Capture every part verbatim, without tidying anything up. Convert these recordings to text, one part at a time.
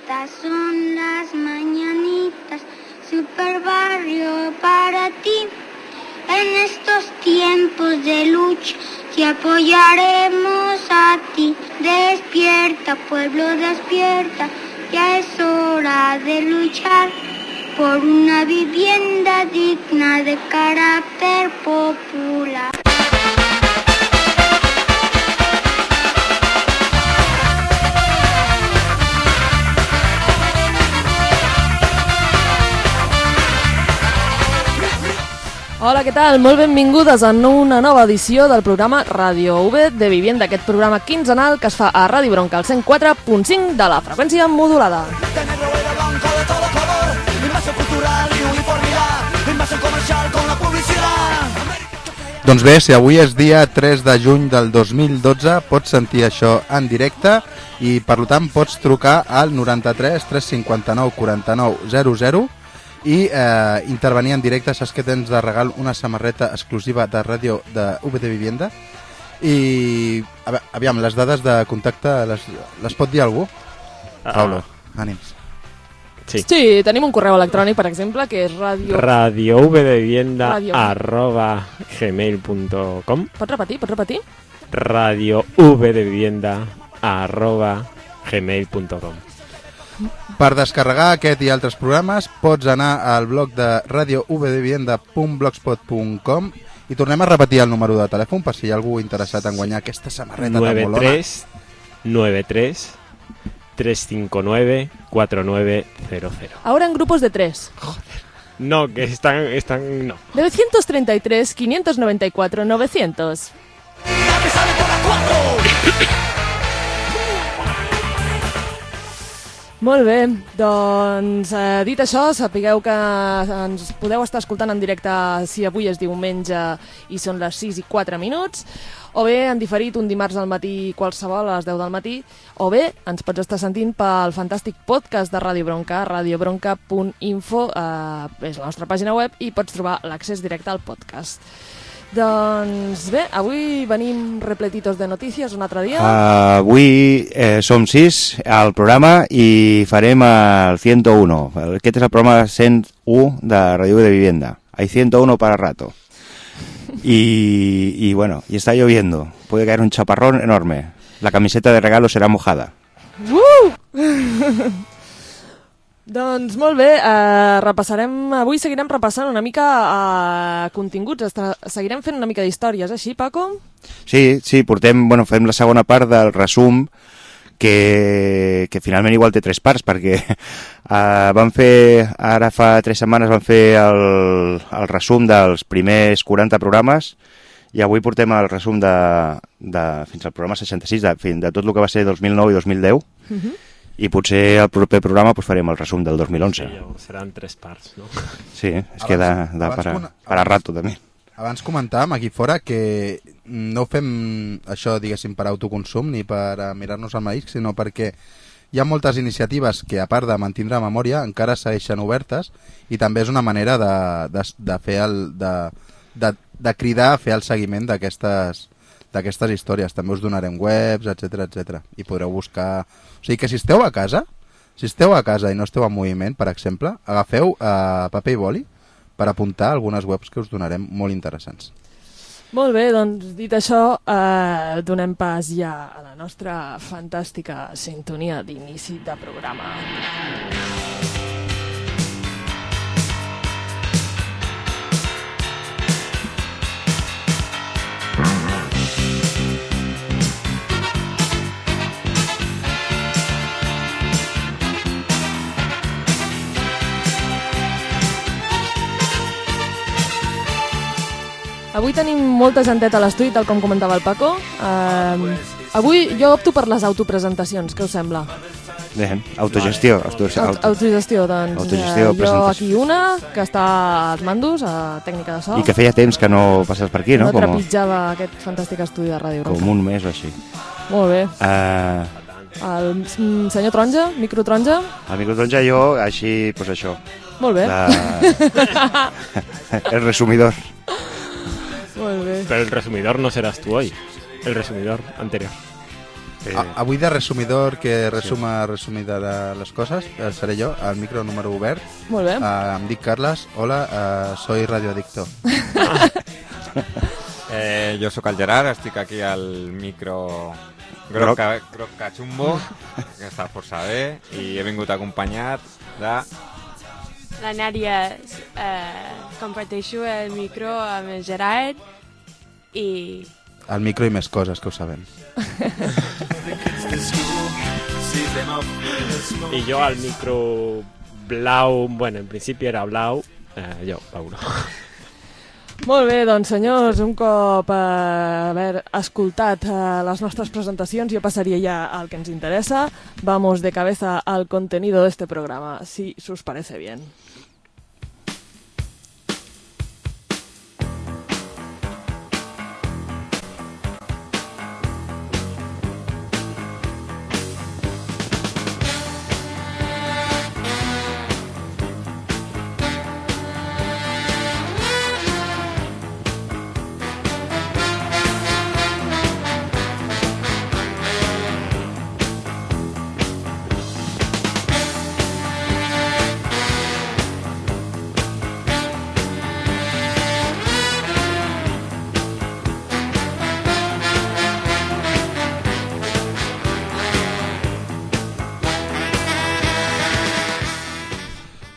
Estas son las mañanitas, super barrio para ti. En estos tiempos de lucha te apoyaremos a ti. Despierta, pueblo, despierta, ya es hora de luchar por una vivienda digna de carácter popular. Hola, què tal? Molt benvingudes a una nova edició del programa Radio U B de Vivienda, aquest programa quinzenal que es fa a Ràdio Bronca, al cent quatre punt cinc de la freqüència modulada. Doncs bé, si avui és dia tres de juny del dos mil dotze, pots sentir això en directe i, per tant, pots trucar al noranta-tres tres cinquanta-nou quaranta-nou zero zero i eh, intervenir en directe. Saps que tens de regal una samarreta exclusiva de ràdio de U B de Vivienda i aviam, les dades de contacte les, les pot dir algú? Uh, Paulo, ànims. Sí. sí, tenim un correu electrònic, per exemple, que és radio... radiouvdevivienda arroba gmail punt com. Pots repetir? Pots repetir? radiouvdevivienda arroba gmail punt com. Per descarregar aquest i altres programes pots anar al blog de radio u b de vivienda punt blogspot punt com i tornem a repetir el número de telèfon per si hi ha algú interessat en guanyar aquesta samarreta tan molona. nueve tres nueve tres tres cinco nueve cuatro nueve cero cero. Ahora en grupos de tres. Joder. No, que están... están no. novecientos treinta y tres, quinientos noventa y cuatro, novecientos. Molt bé, doncs eh, dit això, sapigueu que ens podeu estar escoltant en directe si avui és diumenge i són les sis i quatre minuts, o bé en diferit un dimarts al matí qualsevol a les deu del matí, o bé ens pots estar sentint pel fantàstic podcast de Ràdio Bronca, radiobronca punt info, eh, és la nostra pàgina web i pots trobar l'accés directe al podcast. Doncs bé, avui venim repletitos de notícies un altre dia. Uh, avui eh, som sis al programa i farem el ciento uno. Aquest és el programa cent u de Radio de Vivienda. Hay ciento uno para rato. Y, y bueno, y está lloviendo. Puede caer un chaparrón enorme. La camiseta de regalo será mojada. Uh! Doncs molt bé, eh, repassarem, avui seguirem repassant una mica eh, continguts, Estra, seguirem fent una mica d'històries, així, Paco? Sí, sí, portem, bueno, fem la segona part del resum, que, que finalment igual té tres parts, perquè eh, vam fer, ara fa tres setmanes vam fer el, el resum dels primers quaranta programes, i avui portem el resum de, de fins al programa seixanta-sis, de, de tot el que va ser dos mil nou i dos mil deu, uh-huh. I potser al proper programa pues, farem el resum del dos mil onze. Sí, seran tres parts, no? Sí, és que da, da per, a, per a rato, també. Abans comentàvem aquí fora que no fem això, diguéssim, per autoconsum ni per mirar-nos al maïs, sinó perquè hi ha moltes iniciatives que, a part de mantindre memòria, encara segueixen obertes i també és una manera de, de, de, fer el, de, de, de cridar a fer el seguiment d'aquestes d'aquestes històries. També us donarem webs, etcètera, etcètera. I podreu buscar... O sigui que si esteu a casa, si esteu a casa i no esteu en moviment, per exemple, agafeu eh, paper i boli per apuntar algunes webs que us donarem molt interessants. Molt bé, doncs dit això, eh, donem pas ja a la nostra fantàstica sintonia d'inici de programa. Avui tenim molta genteta a l'estudi, tal com comentava el Paco. Uh, avui jo opto per les autopresentacions, què us sembla? Bé, autogestió. Auto, auto, autogestió, doncs. Autogestió, uh, jo aquí una, que està als mandos, a tècnica de so. I que feia temps que no passes per aquí, no? No trepitjava com... aquest fantàstic estudi de Ràdio Bronca. Com un mes o així. Molt bé. Uh... El senyor Taronja, micro Taronja. El micro Taronja jo, així, doncs això. Molt bé. La... el resumidor. Molt bé. Pero el resumidor no serás tú hoy, el resumidor anterior. Sí. A, avui de resumidor que resuma resumida de les coses, eh, seré jo, al micro número obert. Molt bé. Uh, em dic Carles, hola, uh, soy radioadicto. eh, jo sóc el Gerard, estic aquí al micro groc, groc. groc cachumbo, que està força bé, i he vingut acompanyat de... La Nàdia, eh, comparteixo el micro amb el Gerard i... El micro i més coses, que ho sabem. I jo al micro blau, bueno, en principi era blau, eh, jo, Paulo. Molt bé, doncs senyors, un cop eh, haver escoltat eh, les nostres presentacions, jo passaria ja al que ens interessa. Vamos de cabeza al contenido de este programa, si us parece bien.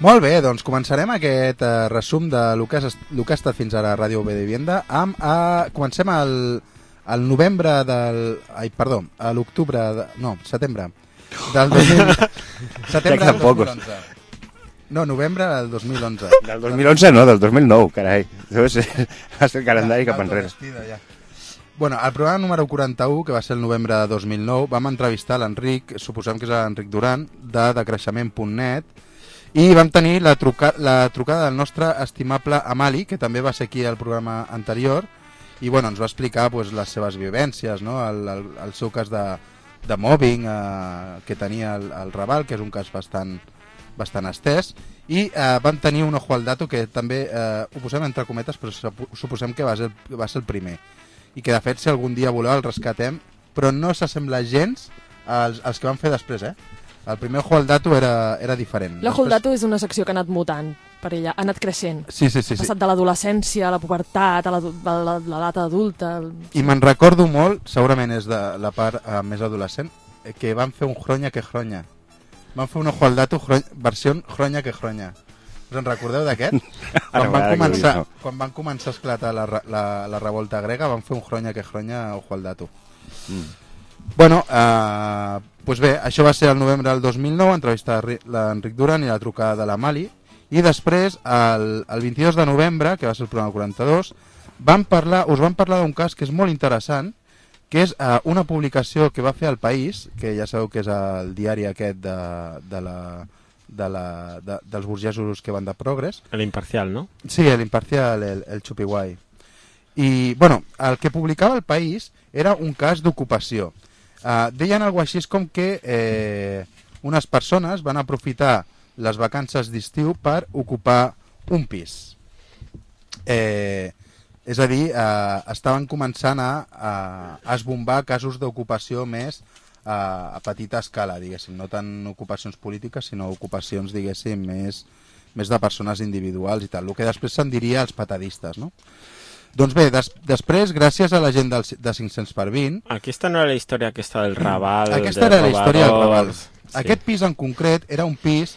Molt bé, doncs començarem aquest uh, resum de lo que, has, lo que ha estat fins ara a Ràdio Obedivienda amb, uh, comencem al, al novembre del... Ai, perdó, a l'octubre... De, no, setembre del dos mil, setembre del dos mil onze. No, novembre del dos mil onze. Del dos mil onze no, del dos mil nou, carai. Has fet el calendari cap enrere. Ja. Bueno, al programa número quaranta-u, que va ser el novembre de dos mil nou, vam entrevistar l'Enric, suposem que és l'Enric Duran, de decreixement punt net, i vam tenir la, truca la trucada del nostre estimable Amali, que també va ser aquí al programa anterior, i bueno, ens va explicar pues, les seves vivències, no? el, el, el seu cas de, de mobbing eh, que tenia el, el Raval, que és un cas bastant, bastant estès, i eh, vam tenir un ojo al dato que també eh, ho posem entre cometes, però suposem que va ser, va ser el primer, i que de fet si algun dia voleu el rescatem, però no s'assembla gens als, als que van fer després, eh? El primer Ojo al Dato era, era diferent. L'Ojo al Dato és una secció que ha anat mutant per ella, ha anat creixent. Sí, sí, sí. Ha passat sí. de l'adolescència a la pubertat, a l'edat adulta... I me'n recordo molt, segurament és de la part uh, més adolescent, que van fer un Jroña que Jroña. Van fer un Ojo al Dato jro... versió Jroña que Jroña. Us en recordeu d'aquest? quan, van començar, quan van començar a esclatar la, la, la revolta grega, van fer un Jroña que Jroña Ojo al Dato. Mm. Bueno, eh, pues bé, això va ser el novembre del dos mil nou, entrevistar l'Enric Duran i la trucada de la Mali, i després, el, el vint-i-dos de novembre, que va ser el programa quaranta-dos, van parlar, us van parlar d'un cas que és molt interessant, que és eh, una publicació que va fer El País, que ja sabeu que és el diari aquest de, de la, de la, de, dels burgesos que van de progres. L'Imparcial, no? Sí, l'Imparcial, el, el Chupiguai. I, bueno, el que publicava El País era un cas d'ocupació. Uh, deien alguna així com que eh, unes persones van aprofitar les vacances d'estiu per ocupar un pis. Eh, és a dir, eh, estaven començant a, a, a esbombar casos d'ocupació més a, a petita escala, diguéssim, no tant ocupacions polítiques, sinó ocupacions, diguéssim, més, més de persones individuals i tal, el que després se'n diria els patadistes, no? Doncs bé, des, després, gràcies a la gent del, de cinc-cents per vint... Aquesta no era la història aquesta del Raval... Aquesta era la història del Raval. Sí. Aquest pis en concret era un pis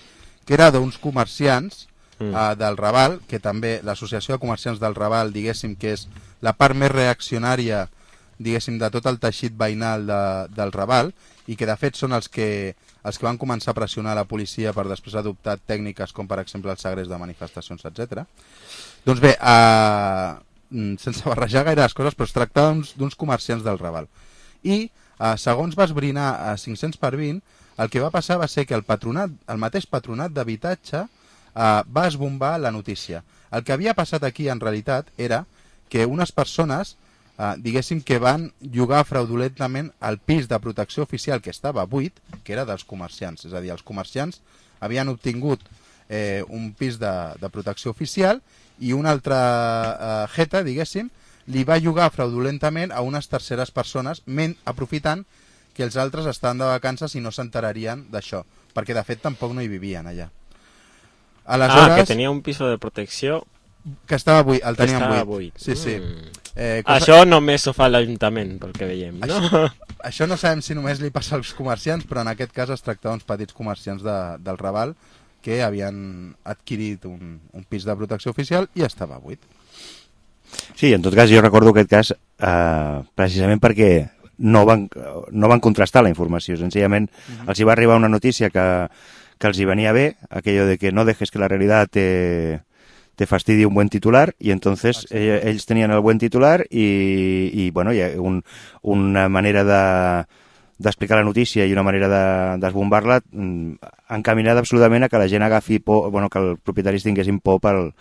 que era d'uns comerciants mm. uh, del Raval, que també l'Associació de Comerciants del Raval, diguéssim, que és la part més reaccionària, diguéssim, de tot el teixit veïnal de, del Raval, i que de fet són els que, els que van començar a pressionar la policia per després adoptar tècniques com per exemple el segrest de manifestacions, etcètera. Doncs bé, uh, sense barrejar gaire les coses, però es tractava d'uns comerciants del Raval. I, eh, segons va esbrinar a cinc-cents per vint, el que va passar va ser que el patronat, el mateix patronat d'habitatge eh, va esbombar la notícia. El que havia passat aquí, en realitat, era que unes persones, eh, diguéssim, que van llogar fraudulentament el pis de protecció oficial que estava buit, que era dels comerciants. És a dir, els comerciants havien obtingut eh, un pis de, de protecció oficial i una altra eh, jeta, diguéssim, li va llogar fraudulentament a unes terceres persones, men, aprofitant que els altres estaven de vacances i no s'enterarien d'això, perquè de fet tampoc no hi vivien allà. Aleshores, ah, que tenia un piso de protecció que estava buit, el tenien estava buit. buit. Sí, sí. Mm. Eh, cosa... Això només ho fa l'Ajuntament, pel que veiem, no? Això, això no sabem si només li passa als comerciants, però en aquest cas es tracta d'uns petits comerciants de, del Raval que havien adquirit un, un pis de protecció oficial i estava buit. Sí, en tot cas jo recordo aquest cas eh, precisament perquè no van, no van contrastar la informació, senzillament uh-huh. els hi va arribar una notícia que, que els hi venia bé, aquello de que no dejes que la realitat te, te fastidi un buen titular, y entonces eh, ells tenien el buen titular i, i bueno, hi ha un, una manera de d'explicar la notícia i una manera de desbombar-la encaminada absolutament a que la gent agafi por, bueno, que els propietaris tinguessin por pel,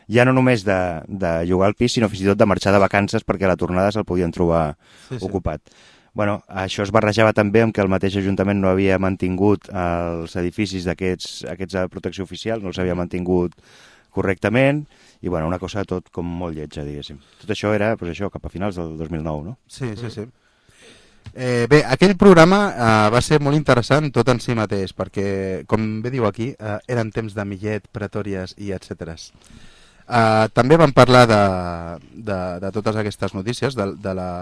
ja no només de, de llogar el pis, sinó fins i tot de marxar de vacances perquè a la tornada se'l podien trobar sí, sí. ocupat. Bueno, això es barrejava també amb que el mateix Ajuntament no havia mantingut els edificis d'aquests aquests de protecció oficial, no els havia mantingut correctament, i bueno, una cosa tot com molt lletja, diguéssim. Tot això era pues, això cap a finals del dos mil nou, no? Sí, sí, sí. Eh, bé, aquell programa eh, va ser molt interessant tot en si mateix, perquè, com bé diu aquí, eh, eren temps de Millet, Pretòries i etcètera. Eh, també vam parlar de, de, de totes aquestes notícies, de, de la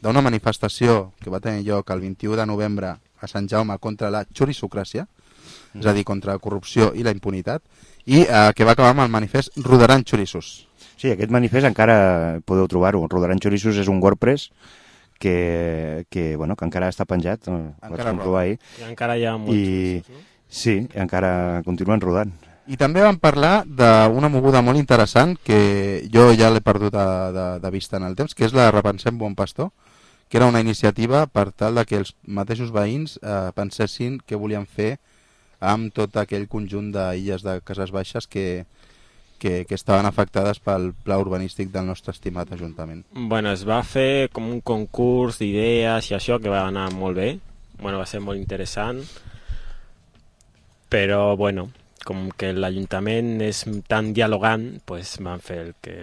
d'una manifestació que va tenir lloc el vint-i-u de novembre a Sant Jaume contra la xurissocràcia, mm. és a dir, contra la corrupció i la impunitat, i eh, que va acabar amb el manifest Rodaran xorissos. Sí, aquest manifest encara podeu trobar-ho. Rodaran xorissos és un WordPress que, que, bueno, que encara està penjat, encara vaig ahir. I encara hi ha molts I, xorissos, no? Sí, encara continuen rodant. I també vam parlar d'una moguda molt interessant que jo ja l'he perdut de, de, de vista en el temps, que és la Repensem Bon Pastor, que era una iniciativa per tal de que els mateixos veïns eh, pensessin què volien fer amb tot aquell conjunt d'illes de Cases Baixes que, que, que estaven afectades pel pla urbanístic del nostre estimat Ajuntament. Bueno, es va fer com un concurs d'idees i això que va anar molt bé, bueno, va ser molt interessant, però bueno, com que l'Ajuntament és tan dialogant, pues van fer el que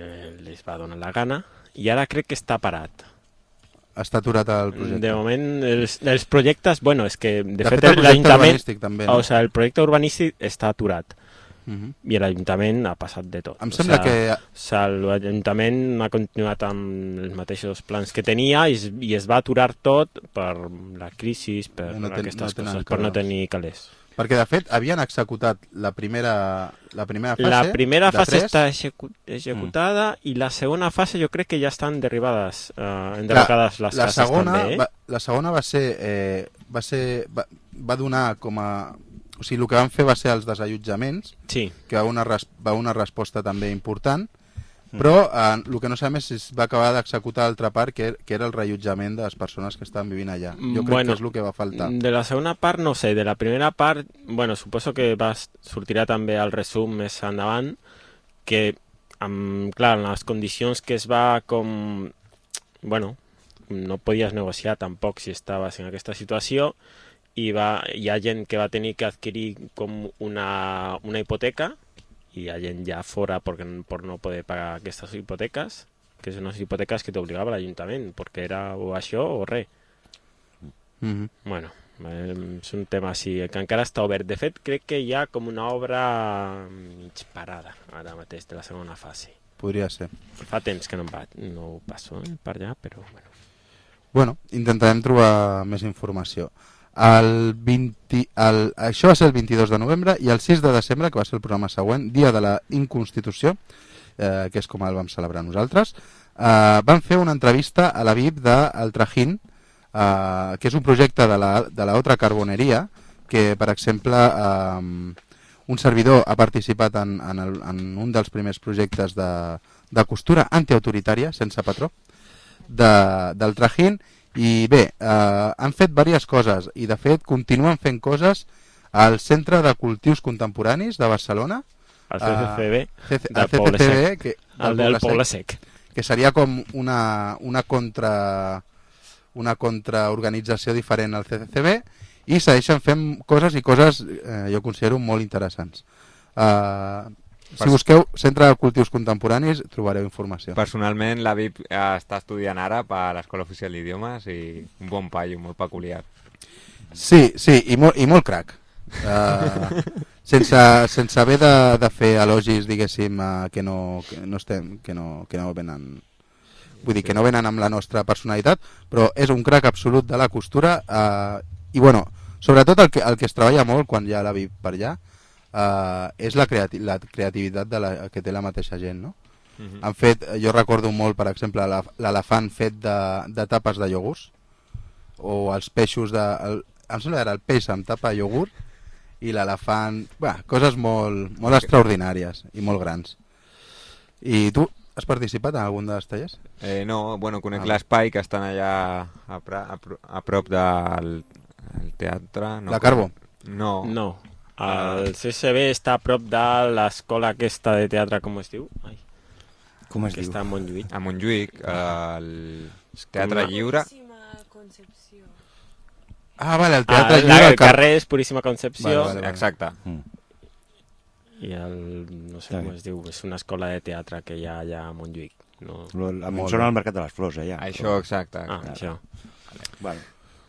les va donar la gana i ara crec que està parat. Està aturat el projecte. De moment, els, els projectes, bueno, és que de, de fet, fet l'Ajuntament, també, no? O sigui, el projecte urbanístic està aturat. Uh -huh. I l'Ajuntament ha passat de tot. Em sembla o sigui, que... O sigui, l'Ajuntament ha continuat amb els mateixos plans que tenia i es, i es va aturar tot per la crisi, per no ten, aquestes no coses, per no tenir calés. Perquè, de fet, havien executat la primera, la primera fase... La primera fase tres. està execu executada mm. i la segona fase jo crec que ja estan derribades, eh, enderrocades les la cases segona, també. Eh? Va, la segona va ser... Eh, va, ser va, va donar com a... O sigui, el que van fer va ser els desallotjaments, sí. que va una, res, va una resposta també important, però eh, el que no sabem és si es va acabar d'executar l'altra part, que, que era el reallotjament de les persones que estaven vivint allà. Jo crec bueno, que és el que va faltar. De la segona part no sé, de la primera part, bueno, suposo que va, sortirà també el resum més endavant, que, amb, clar, en les condicions que es va com... Bueno, no podies negociar tampoc si estaves en aquesta situació, i va, hi ha gent que va tenir que adquirir com una, una hipoteca, i hi ha gent ja fora per, per no poder pagar aquestes hipoteques, que són unes hipoteques que t'obligava l'Ajuntament, perquè era o això o res. Mm -hmm. Bueno, eh, és un tema així, que encara està obert. De fet, crec que hi ha com una obra mig parada, ara mateix, de la segona fase. Podria ser. Fa temps que no, em va, no ho passo eh, per allà, però bueno. Bueno, intentarem trobar més informació. El vint, el, això va ser el vint-i-dos de novembre i el sis de desembre, que va ser el programa següent, dia de la Inconstitució, eh, que és com el vam celebrar nosaltres, eh, vam fer una entrevista a la V I P del Trajín, eh, que és un projecte de la, de la Otra Carboneria, que, per exemple, eh, un servidor ha participat en, en, el, en un dels primers projectes de, de costura antiautoritària, sense patró, de, del Trajín. I bé, eh, han fet diverses coses i de fet continuen fent coses al Centre de Cultius Contemporanis de Barcelona, el C C C B, uh, del Poble Sec, que, el del Poble Sec, que seria com una, una contra una contraorganització diferent al C C C B, i segueixen fent coses i coses eh, jo considero molt interessants. Uh, Si busqueu Centre de Cultius Contemporanis trobareu informació. Personalment, la V I P està estudiant ara per l'Escola Oficial d'Idiomes i un bon paio, molt peculiar. Sí, sí, i molt, i molt crac. Uh, sense, sense haver de, de fer elogis, diguéssim, uh, que, no, que no estem, que no, que no venen... Vull dir, que no venen amb la nostra personalitat, però és un crac absolut de la costura uh, i, bueno, sobretot el que, el que es treballa molt quan hi ha la V I P per allà uh, és la, creati la creativitat de la, que té la mateixa gent, no? Uh-huh. Han fet, jo recordo molt, per exemple, l'elefant fet de, de tapes de iogurts, o els peixos de... El, em sembla que era el peix amb tapa de iogurt i l'elefant... Bé, coses molt, molt extraordinàries i molt grans. I tu has participat en algun dels tallers? Eh, no, bueno, conec Ah. l'espai que estan allà a, pra, a, pro- a prop del el teatre. No, La Carbo? No. No. El C S B està a prop de l'escola aquesta de teatre, com es diu? Ai, Com es que diu? està a Montjuïc. A Montjuïc, el Teatre Com- Lliure. Concepció. Ah, vale, el Ah, Teatre el, Lliure... el carrer és Puríssima Concepció. Vale, vale, vale. Exacte. Mm. I el, no sé Està com bé. es diu, és una escola de teatre que hi ha allà a Montjuïc. No? Lo- A mi em Molt sona bé. al Mercat de les Flors, allà. Això, exacte. Ah, això. Bueno,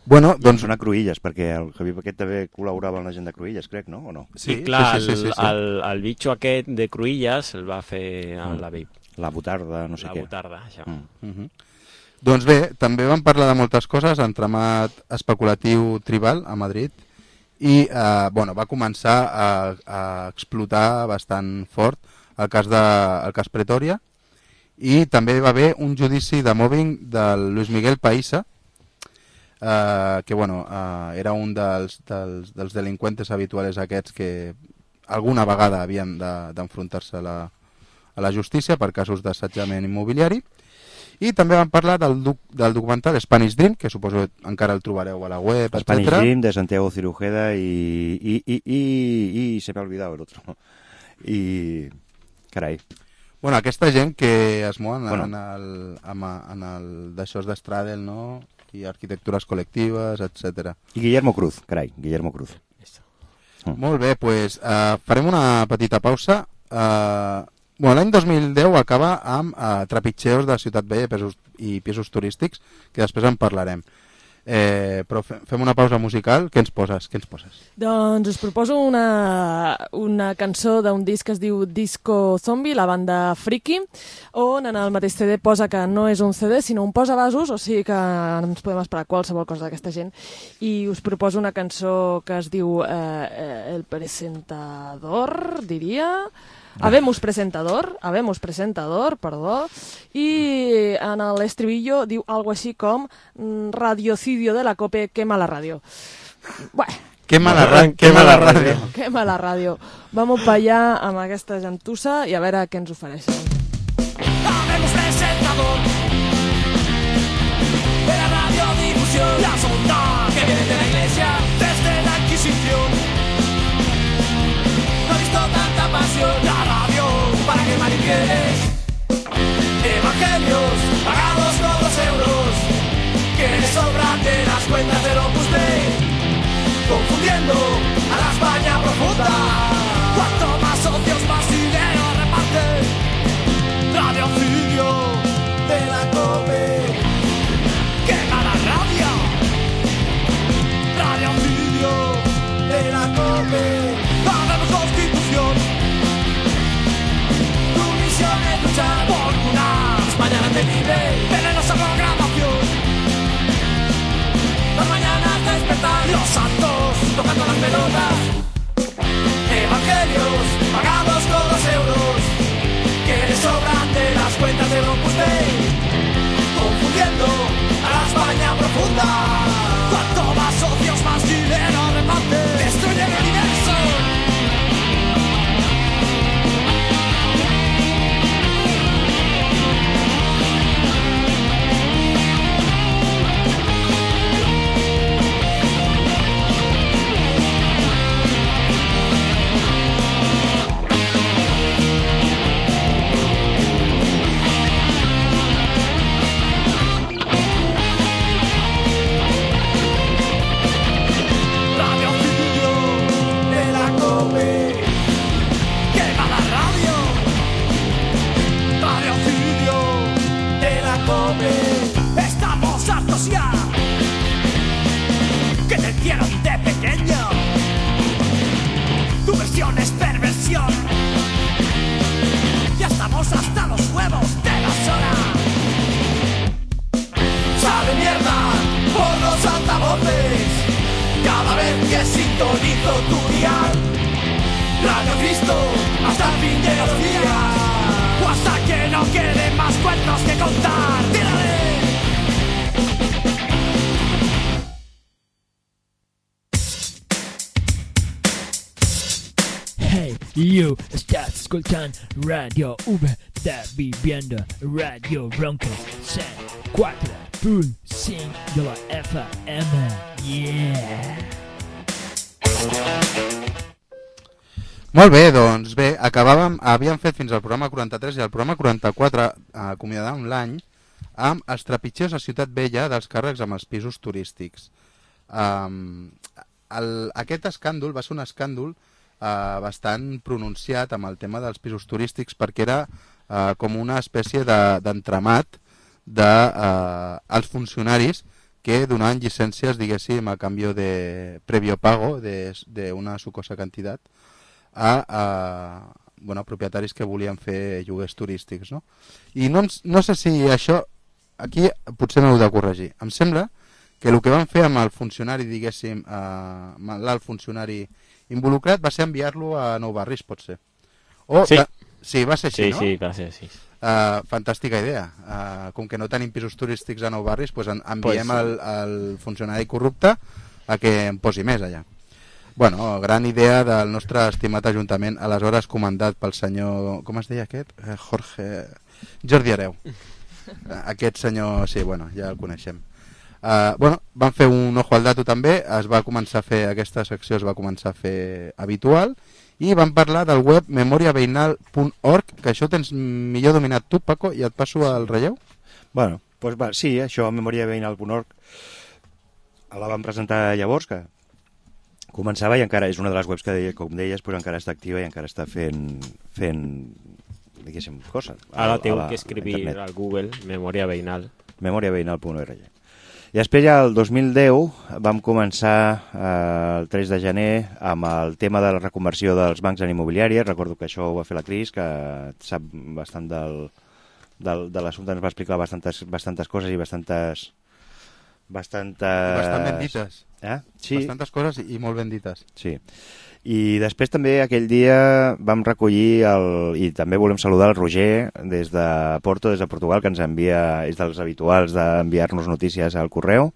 Bueno, doncs doncs... són a Cruïlles, perquè el Javier Paquet també col·laborava amb la gent de Cruïlles, crec, no? O no? Sí, sí, clar, sí, sí, sí, sí. El, el, el bitxo aquest de Cruïlles el va fer a Mm. la V I P. La Botarda, no sé La què. Botarda, això. Mm. Uh -huh. Doncs bé, també vam parlar de moltes coses, entramat especulatiu tribal a Madrid, i eh, bueno, va començar a, a explotar bastant fort el cas, de, el cas Pretòria, i també va haver un judici de mobbing del Luis Miguel Païssa, eh, que bueno, eh, era un dels, dels, dels delinqüentes habituals aquests que alguna vegada havien de- d'enfrontar-se a, la, a la justícia per casos d'assetjament immobiliari. I també vam parlar del, doc del documental Spanish Dream, que suposo que encara el trobareu a la web, Spanish etcètera. Dream de Santiago Cirujeda y, y, y, y, y se me ha olvidado el otro. Y... Carai. Bueno, aquesta gent que es mouen Bueno. en el, en el, en el d'això de Stradel, no? I arquitectures col·lectives, etcètera. I Guillermo Cruz, carai, Guillermo Cruz. Molt bé, doncs uh, farem una petita pausa. Uh, bueno, l'any dos mil deu acaba amb uh, trepitgeos de Ciutat Vella i pisos, i pisos turístics, que després en parlarem. Eh, però fe fem una pausa musical. Què ens poses? Què ens poses? Doncs us proposo una, una cançó d'un disc que es diu Disco Zombie, la banda Friki, on en el mateix C D posa que no és un C D, sinó un posavasos, o sigui que ens podem esperar qualsevol cosa d'aquesta gent. I us proposo una cançó que es diu eh, eh, El Presentador, diria... Habemos presentador, habemos presentador, perdó, i en l'estribillo diu algo així com mm, radiocidio de la COPE, quema la ràdio. Bueno, Quema la, ra quema la ràdio. quema la ràdio. Vamos pa allà amb aquesta gentussa i a veure què ens ofereixen. Habemos presentador de la radiodifusión, la sonda que viene de la iglesia desde la Inquisición. No he visto tanta pasión, la radio para que manipieles. Evangelios pagados con dos euros que le sobran de las cuentas del Opus Dei, confundiendo a la España profunda. Cuanto más socios, más dinero reparte. Radiocidio de la COPE, quema la radio. Radiocidio de la COPE. Hagamos constitución. Tu misión es luchar por una España mantenible. Venenosa programación. Las mañanas despertar, los santos tocando las pelotas. Evangelios pagados con dos euros que le sobran de las cuentas del Opus Dei, confundiendo a la España profunda. Cuanto más socios, más dinero reparte. Destruye el universo. presión. Ya estamos hasta los huevos de la zona. Sale mierda por los altavoces cada vez que sintonizo tu dial. Radio Cristo hasta el fin de los días, o hasta que no queden más cuentos que contar. ¡Tírale! Hey, you, estás escuchando Radio V, estás viviendo Radio Broncos cent quatre punt cinc de la F M. Yeah! Molt bé, doncs bé, acabàvem, havíem fet fins al programa quaranta-tres i al programa quaranta-quatre acomiadàvem l'any amb els trepitgers a Ciutat Vella dels càrrecs amb els pisos turístics. Um, el, aquest escàndol va ser un escàndol uh, bastant pronunciat amb el tema dels pisos turístics perquè era uh, com una espècie d'entramat de, dels de, uh, funcionaris que donaven llicències, diguéssim, a canvi de previo pago d'una sucosa quantitat a, a bueno, propietaris que volien fer lloguers turístics, no? I no, no sé si això, aquí potser m'heu de corregir. Em sembla que el que van fer amb el funcionari, diguéssim, amb l'alt funcionari involucrat va ser enviar-lo a Nou Barris, pot ser? O, sí. Que, sí, va ser així, sí, no? Sí, va ser així. Uh, fantàstica idea. Uh, com que no tenim pisos turístics a Nou Barris, pues en, enviem pues, el, el funcionari corrupte a que en posi més allà. Bueno, gran idea del nostre estimat ajuntament, aleshores comandat pel senyor... Com es deia aquest? Eh, Jorge... Jordi Hereu. Aquest senyor, sí, bueno, ja el coneixem. Uh, bueno, van fer un ojo al dato també, es va començar a fer, aquesta secció es va començar a fer habitual, i van parlar del web memòria veïnal punt org, que això tens millor dominat tu, Paco, i et passo al relleu? Bueno, doncs va, sí, això, memòria veïnal punt org, la vam presentar llavors, que començava i encara és una de les webs que, com deies, però encara està activa i encara està fent, fent diguéssim, coses. Ara té que escriure al Google memòria veïnal. memòria veïnal punt org. I després ja el dos mil deu vam començar eh, el tres de gener amb el tema de la reconversió dels bancs en immobiliàries. Recordo que això ho va fer la Cris, que sap bastant del, del, de l'assumpte, ens va explicar bastantes, bastantes coses i bastantes... bastantes... Bastant ben dites. Eh? Sí. Bastantes coses i molt ben dites. Sí. I després també aquell dia vam recollir el, i també volem saludar el Roger des de Porto, des de Portugal, que ens envia, és dels habituals d'enviar-nos notícies al correu,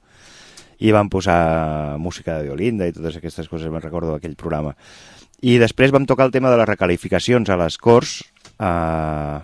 i vam posar música de violinda i totes aquestes coses, me'n recordo d'aquell programa. I després vam tocar el tema de les recalificacions a les Corts, eh,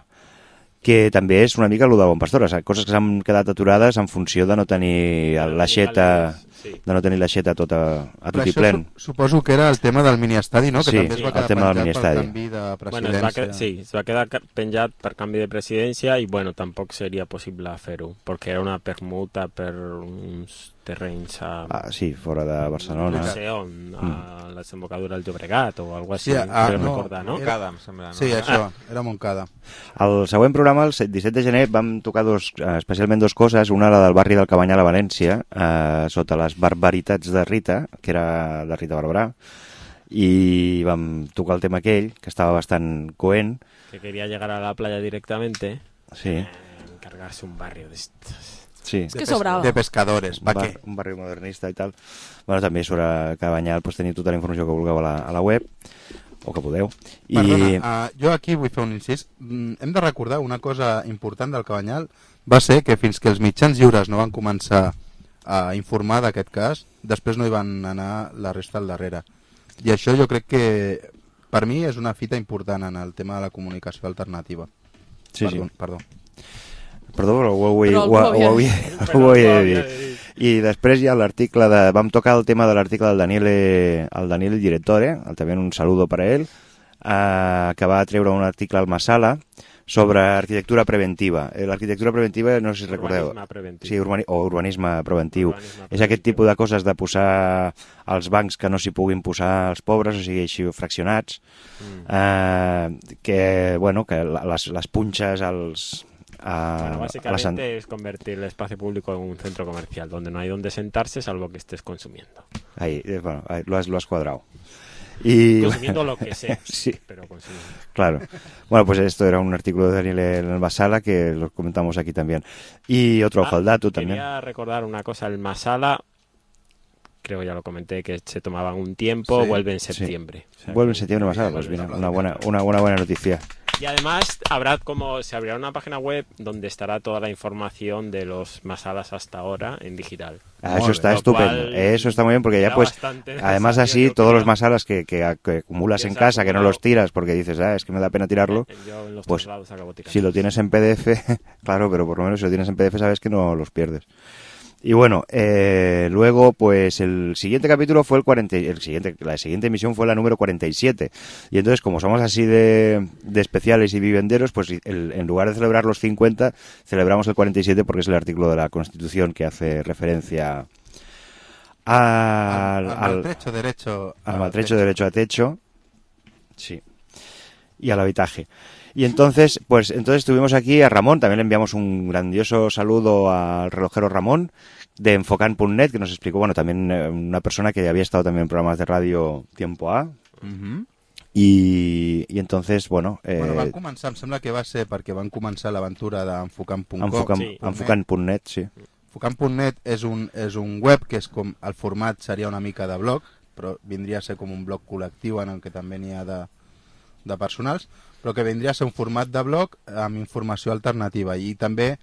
que també és una mica el de Bon Pastor, coses que s'han quedat aturades en funció de no tenir l'aixeta... Sí. de no tenir l'aixeta tota a tot i plen. Su suposo que era el tema del miniestadi, no? Que sí, també es va quedar penjat per canvi de presidència. Bueno, es va quedar, sí, es va quedar penjat per canvi de presidència i, bueno, tampoc seria possible fer-ho, perquè era una permuta per uns terrenys a... Ah, sí, fora de Barcelona. No sé on, a mm. la desembocadura del Llobregat o alguna cosa així. Sí, ah, no, no, recordar, no? Montcada, em sembla. No? Sí, això, ah. era Montcada. El següent programa, el disset de gener, vam tocar dos, especialment dues coses. Una, la del barri del Cabanyal a València, eh, sota les barbaritats de Rita, que era de Rita Barberà, i vam tocar el tema aquell, que estava bastant coent. Que quería llegar a la playa directamente. Sí. Eh, encargarse un barrio de estos. Sí. És que sobrava. De pescadores, pa un, bar, què? un barri modernista i tal. Bueno, també sobre Cabanyal pues, teniu tota la informació que vulgueu a la, a la web, o que podeu. I... Perdona, uh, jo aquí vull fer un incís. Mm, hem de recordar una cosa important del Cabanyal, va ser que fins que els mitjans lliures no van començar a informar d'aquest cas, després no hi van anar la resta al darrere. I això jo crec que per mi és una fita important en el tema de la comunicació alternativa. Sí, perdó, sí. Perdó. Perdó, però ho, ho, ho, ho, ho, ho, ho he dit. I després hi ha l'article de... Vam tocar el tema de l'article del Daniele, el Daniele Direttore, també un saludo per a ell, eh, que va treure un article al Masala sobre arquitectura preventiva. L'arquitectura preventiva, no sé si recordeu... Urbanisme preventiu. Sí, urbani o urbanisme preventiu. Urbanisme és aquest tipus de coses de posar als bancs que no s'hi puguin posar els pobres, o sigui, així fraccionats, mm. eh, que, bueno, que les, les punxes, els... Uh, bueno, básicamente las... es convertir el espacio público en un centro comercial donde no hay donde sentarse salvo que estés consumiendo. Ahí, bueno, ahí, lo, has, lo has cuadrado. Y... Consumiendo lo que sea, sí. pero consumiendo. Claro. Bueno, pues esto era un artículo de Daniel en el Masala que lo comentamos aquí también. Y otro ojo Ah, al dato también. Quería recordar una cosa, el Masala, creo ya lo comenté, que se tomaban un tiempo, Sí, vuelve en sí. septiembre. O sea, Vuelve en que- septiembre Masala, pues mira, una buena, una, una buena noticia. Y además habrá como se abrirá una página web donde estará toda la información de los Masalas hasta ahora en digital. Ah, Muy eso bien. está Lo estupendo. cual Eso está muy bien porque ya era pues, bastante además necesario, así, yo todos creo. los masalas que, que, que acumulas en Piensa casa, que no acumulado. los tiras porque dices, ah, es que me da pena tirarlo, Yo en los pues, traslados acabo tirando. si lo tienes en P D F, claro, pero por lo menos si lo tienes en P D F sabes que no los pierdes. Y bueno, eh, luego pues el siguiente capítulo fue el cuarenta, el siguiente, la siguiente emisión fue la número cuarenta y siete. Y entonces como somos así de, de especiales y vivenderos, pues el, en lugar de celebrar los cincuenta, celebramos el cuarenta y siete porque es el artículo de la Constitución que hace referencia al, al, al maltrecho derecho al maltrecho derecho a techo, sí, y al habitaje. Y entonces, pues entonces tuvimos aquí a Ramón, también le enviamos un grandioso saludo al relojero Ramón de Enfocan punto net, que nos explicó, bueno, también eh, una persona que había estado también en programas de radio Tiempo A, Mhm. i, i entonces, bueno... Eh, Bueno, van començar, em sembla que va ser perquè van començar l'aventura d'Enfocant punt com. Enfocan, Sí. Enfocan punto net, sí. Enfocant punt net és un, és un web que és com el format seria una mica de blog, però vindria a ser com un blog col·lectiu en el que també n'hi ha de, de personals, però que vindria a ser un format de blog amb informació alternativa i també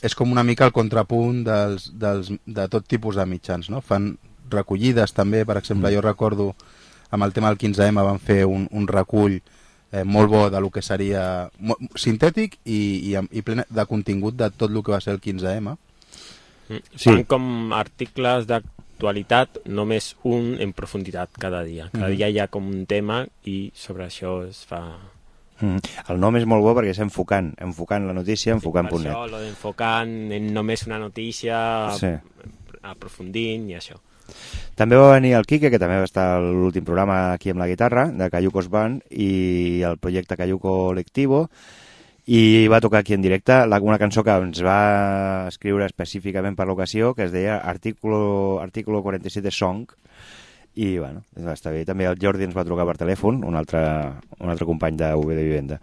és com una mica el contrapunt dels, dels, de tot tipus de mitjans, no? Fan recollides també, per exemple, Mm. jo recordo amb el tema del quinze eme van fer un, un recull eh, molt bo de lo que seria mo- sintètic i, i, amb- i ple de contingut de tot el que va ser el quinze eme. Mm. Sí. Fan com articles d'actualitat, només un en profunditat cada dia. Cada Mhm. dia hi ha com un tema i sobre això es fa... Mm. El nom és molt bo perquè és Enfocant, Enfocant la notícia, Enfocant Per punt net. això, lo d'enfocant en només una notícia, Sí. aprofundint i això. També va venir el Quique, que també va estar a l'últim programa aquí amb la guitarra, de Cayucos Band, i el projecte Cayuco Colectivo, i va tocar aquí en directe la, una cançó que ens va escriure específicament per l'ocasió, que es deia Artículo, Artículo quaranta i set Song, i bueno, va estar bé. També el Jordi ens va trucar per telèfon, un altre, un altre company de U B de Vivenda.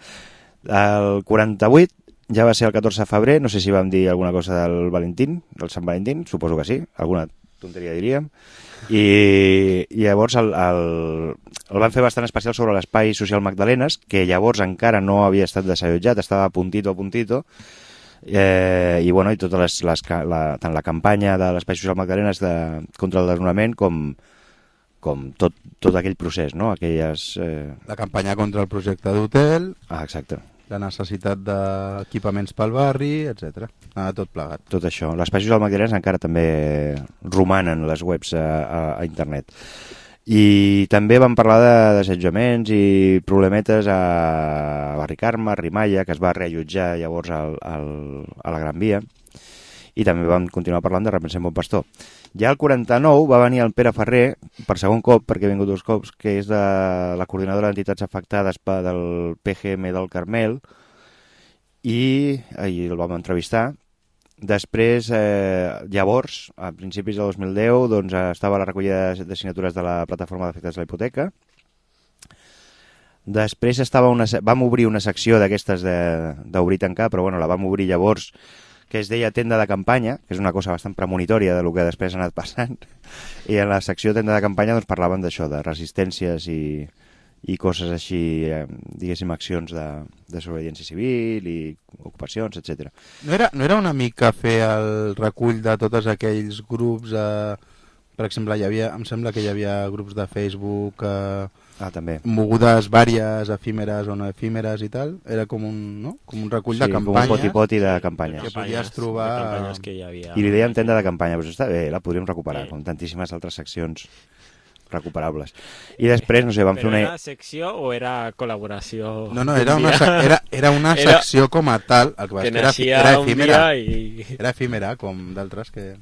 El quaranta-vuit ja va ser el catorze de febrer, no sé si vam dir alguna cosa del Valentín, del Sant Valentín, suposo que sí, alguna tonteria diríem, i, i llavors el, el, el van fer bastant especial sobre l'Espai Social Magdalenes, que llavors encara no havia estat desallotjat, estava a puntito a puntito, eh, i bueno, i totes les, les, ca- la, tant la campanya de l'Espai Social Magdalenes de, contra el desnonament com, com tot, tot aquell procés, no? Aquelles... Eh... La campanya contra el projecte d'hotel, Ah, exacte. la necessitat d'equipaments pel barri, etcètera. Anava tot plegat. Tot això. Les pàgines del Magdalenes encara també romanen les webs a, a, a internet. I també vam parlar de desallotjaments i problemetes a Barri Carme, a Rimalla, que es va reallotjar llavors al, al, a la Gran Via. I també vam continuar parlant de Repensem Bon Pastor. Ja el quaranta-nou va venir el Pere Ferrer, per segon cop, perquè ha vingut dos cops, que és de la coordinadora d'entitats afectades pe- del P G M del Carmel, i ahir el vam entrevistar. Després, eh, llavors, a principis de dos mil deu, doncs, eh, estava a la recollida de de signatures de la plataforma d'afectats de la hipoteca. Després estava una, se- vam obrir una secció d'aquestes de- d'obrir i tancar, però bueno, la vam obrir llavors, que es deia tenda de campanya, que és una cosa bastant premonitòria de lo que després ha anat passant, i en la secció tenda de campanya doncs, parlaven d'això, de resistències i, i coses així, eh, diguéssim, accions de, de desobediència civil i ocupacions, etcètera. No era, no era una mica fer el recull de tots aquells grups, eh, per exemple, hi havia, em sembla que hi havia grups de Facebook, eh, Ah, també. mogudes vàries, efímeres o no efímeres i tal, era com un, no? com un recull Sí, de com un campanyes. poti-poti de campanyes. Que podies trobar- De campanyes que hi havia. I li dèiem tenda de campanya, però està bé, la podríem recuperar, Sí. com tantíssimes altres seccions recuperables. I després, no sé, vam fer Però una... era secció o era col·laboració? No, no, d'un era una, dia? se- era, era una Era- secció com a tal, el que, passa que és que era, naixia era un efímera, dia i... era efímera, com d'altres que...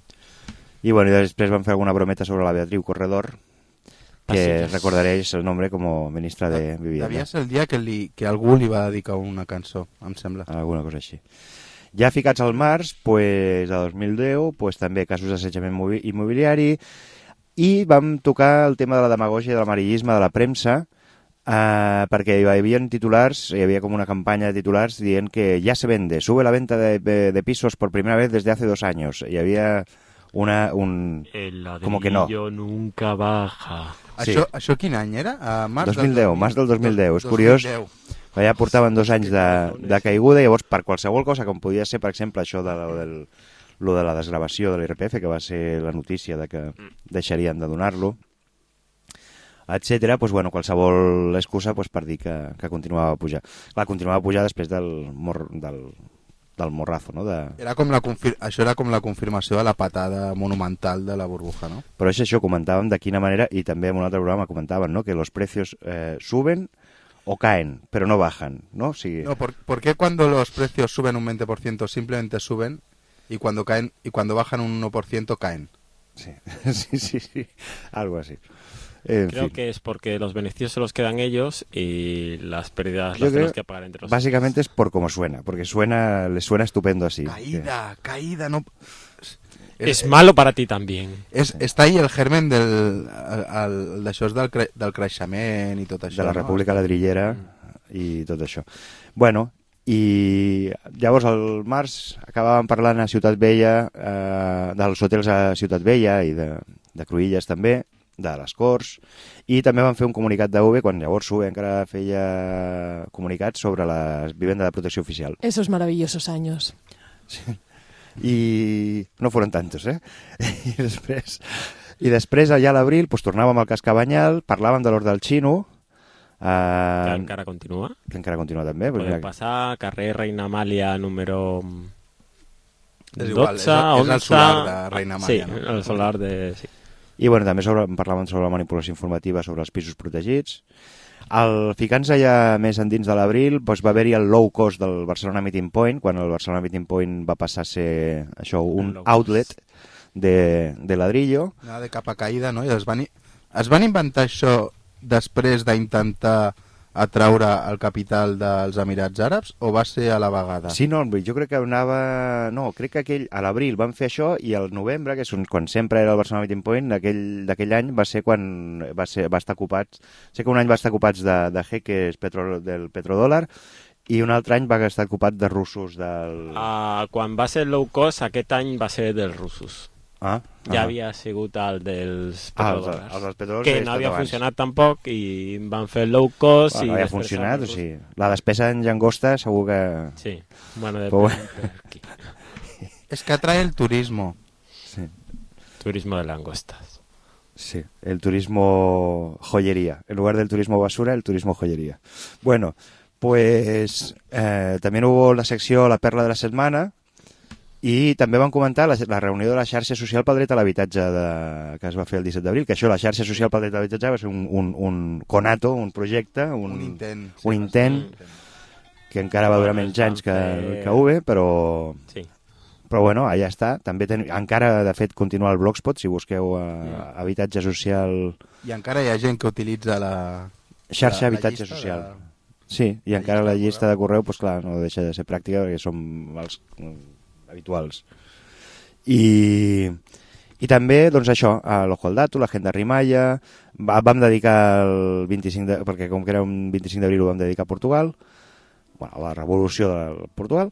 I bueno, i després vam fer alguna brometa sobre la Beatriu Corredor, que Ah, sí. recordaréis el nombre como ministra de Vivienda. Devia ser el dia que, li, que algú li va dedicar una cançó, em sembla. Alguna cosa així. Ja ficats al març, pues, de dos mil deu, pues, també casos d'assetjament movi- immobiliari. I vam tocar el tema de la demagògia, del amarillisme, de la premsa, eh, perquè hi havia titulars, hi havia com una campanya de titulars dient que ja se vende, sube la venta de, de, de pisos por primera vez desde hace dos años. Hi havia una... un... El como que no. ladrillo nunca baja. Sí. Això, això quin any era? A març dos mil deu, del març del dos mil deu. És dos curiós, mil deu. ja portaven dos anys de, de caiguda, i llavors per qualsevol cosa, com podia ser, per exemple, això de, del, lo de la desgravació de l'I R P F, que va ser la notícia de que deixarien de donar-lo, etcètera, doncs, bueno, qualsevol excusa doncs, per dir que, que continuava a pujar. Clar, continuava a pujar després del, mor, del, del morrazo, no? De... Era com la confir... Això era com la confirmació de la patada monumental de la burbuja, ¿no? Però és això, comentàvem de quina manera, i també en un altre programa comentaven, ¿no? Que los precios eh, suben o caen, pero no bajan, ¿no? Si... No, ¿por, ¿por qué cuando los precios suben un veinte por ciento simplemente suben y cuando caen y cuando bajan un uno por ciento caen? Sí, sí, sí, sí, algo así. En Creo fin. que es porque los beneficios se los quedan ellos y las pérdidas Yo las tenemos creo, que pagar entre los básicamente es por cómo suena, porque suena, les suena estupendo así. Caída, que... caída, no... Es, es malo para ti también. És, està ahí el germen del, el, d'això és del, cre, del creixement i tot això. De la no? República Ladrillera i tot això. Bueno, i llavors al març acabàvem parlant a Ciutat Vella, eh, dels hotels a Ciutat Vella i de, de Cruïlles també, de les Corts, i també van fer un comunicat d'U B, quan llavors U B encara feia comunicats sobre la vivenda de protecció oficial. Esos maravillosos años. Sí. I no foren tantos, eh? I després, i després allà a l'abril doncs, tornàvem al cas Cabanyal, parlàvem de l'Hort del Xino, eh, Que encara continua. que encara continua també. Pues Podem mira, passar, carrer Reina Amàlia número És igual, dotze, és el- és el onze... solar de Reina Amàlia, Sí, no? el solar de... Sí. I bueno, també sobre, parlàvem sobre la manipulació informativa sobre els pisos protegits. El, ficant-se ja més endins de l'abril, doncs va haver-hi el low cost del Barcelona Meeting Point, quan el Barcelona Meeting Point va passar a ser això, un outlet de, de ladrillo. Anava de capa caïda, no? I es van, es van inventar això després d'intentar atraure el capital dels Emirats Àrabs o va ser a la vegada? Sí, no, jo crec que anava... No, crec que aquell, a l'abril van fer això i al novembre, que és un, quan sempre era el Barcelona Meeting Point, d'aquell any va ser quan va, ser, va estar ocupats... Sé que un any va estar ocupats de, de jeques petro, del petrodòlar i un altre any va estar ocupat de russos del... Uh, quan va ser low cost, aquest any va ser dels russos. Ah, Ja ah. havia sigut el dels Ah, els- petrodòlars. els dels petrodòlars que havia no estat havia abans. funcionat tampoc i van fer low cost. Bueno, i no havia després funcionat, els o sigui, la despesa en llangosta segur que... Sí, bueno, de Però Es que atrae el turismo. Sí. Turismo de langostas. Sí, el turismo joyería. En lugar del turismo basura, el turismo joyería. Bueno, pues eh, también hubo la secció La Perla de la Setmana i també van comentar la, la reunió de la xarxa social pel dret a l'habitatge de, que es va fer el disset d'abril, que això, la xarxa social pel dret a l'habitatge va ser un, un, un conato, un projecte, un, Un intent. un intent que encara va durar menys anys que, que U B, però... Sí. Però bueno, allà està. També ten... Encara, de fet, continua el Blogspot, si busqueu eh, habitatge social... I encara hi ha gent que utilitza la... Xarxa la- la habitatge llista social. de- Sí, i la encara llista la de llista de correu, pues, clar, no deixa de ser pràctica perquè som els mm, habituals. I, i també, doncs això, a l'Ojo al Dato, la Agenda Rimalla, va, vam dedicar el vint-i-cinc de, perquè com que era un vint-i-cinc d'abril ho vam dedicar a Portugal, bueno, a la revolució de Portugal,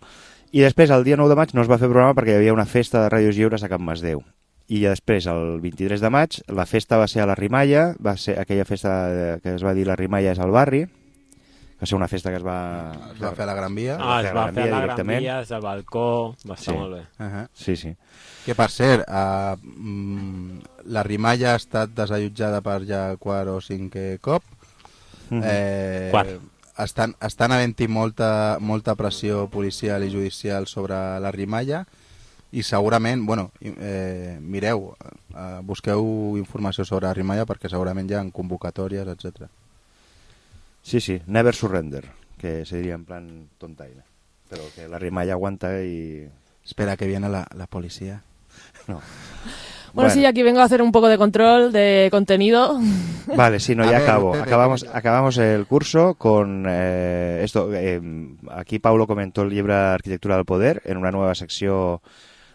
i després el dia nou de maig no es va fer programa perquè hi havia una festa de ràdios lliures a Can Masdeu. I després, el vint-i-tres de maig, la festa va ser a la Rimalla, va ser aquella festa que es va dir la Rimalla és al barri, va ser una festa que es va... Es va fer a la Gran Via. Ah, es va fer a la Gran directament. Via, des del balcó, va estar Sí. molt bé. Uh -huh. Sí, sí. Que per cert, uh, mm, la Rimalla ha estat desallotjada per ja quart o cinquè cop. Mhm. Eh, Quart. estan, estan havent-hi molta, molta pressió policial i judicial sobre la Rimalla i segurament, bueno, eh, mireu, eh, busqueu informació sobre la Rimalla perquè segurament hi ha convocatòries, etcètera. Sí, sí, never surrender, que se diria en plan tontaina. Però que la Rimalla aguanta y... Espera que viene la, la policía. No. Bueno, sí, aquí vengo a hacer un poco de control de contenido. Vale, sí, no, A ya ver, acabo. Pepe, Acabamos, Pepe. acabamos el curso con eh, esto. Eh, aquí Paulo comentó el llibre Arquitectura del Poder en una nueva secció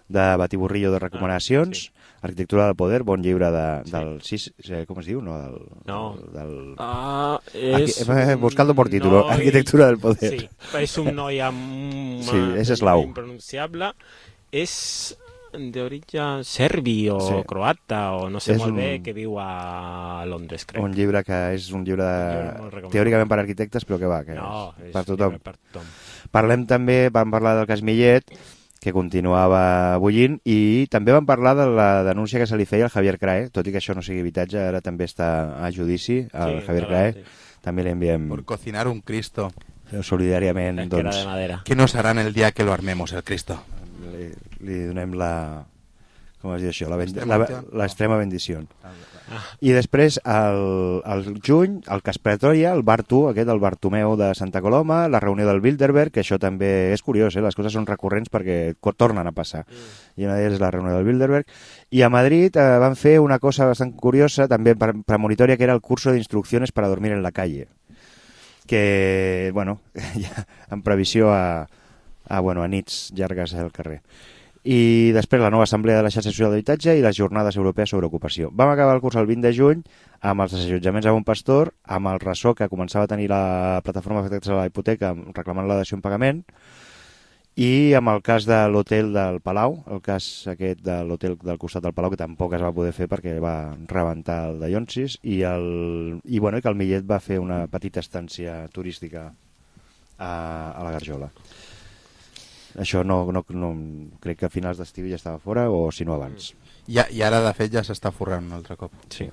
de batiburrillo de recomanacions. Arquitectura del poder, bon llibre de, del sis, eh, com es diu? No, del, no. del... Ah, és Arqui... Buscando por título, noi... Arquitectura del poder. Sí, és un noi amb sí, és eslau. Impronunciable. És d'origen serbi o sí. croata o no sé és molt un... bé, que viu a Londres, crec. Un llibre que és un llibre, de... un llibre teòricament per arquitectes, però que va, que no, és, és per tothom. per tothom. Parlem també, vam parlar del cas Millet, que continuava bullint, i també vam parlar de la denúncia que se li feia al Javier Crae, tot i que això no sigui habitatge, ara també està a judici, al sí, Javier Crae, sí. També li enviem... Por cocinar un Cristo. Solidàriament, doncs... de madera. Que no serà el dia que lo armemos, el Cristo. Li, li donem la... Com es diu això? L'extrema bendició. Ah. I després, al, al juny, el cas Pretoria, el Bartu, aquest, el Bartomeu de Santa Coloma, la reunió del Bilderberg, que això també és curiós, eh? Les coses són recurrents perquè tornen a passar. Mm. I una d'elles és la reunió del Bilderberg. I a Madrid eh, van fer una cosa bastant curiosa, també premonitòria, que era el curso de instrucciones para dormir en la calle. Que, bueno, ja, en previsió a, a, bueno, a nits llargues al carrer. I després la nova assemblea de la xarxa social d'habitatge i les jornades europees sobre ocupació. Vam acabar el curs el vint de juny amb els desallotjaments a Bon Pastor, amb el ressò que començava a tenir la plataforma d'afectats a la hipoteca reclamant la dació en pagament, i amb el cas de l'hotel del Palau, el cas aquest de l'hotel del costat del Palau, que tampoc es va poder fer perquè va rebentar el de Llonsis, i, el, i, bueno, i que el Millet va fer una petita estància turística a, a la Garjola. Això no, no, no, crec que a finals d'estiu ja estava fora, o si no abans. I, i ara, de fet, ja s'està forrant un altre cop. Sí.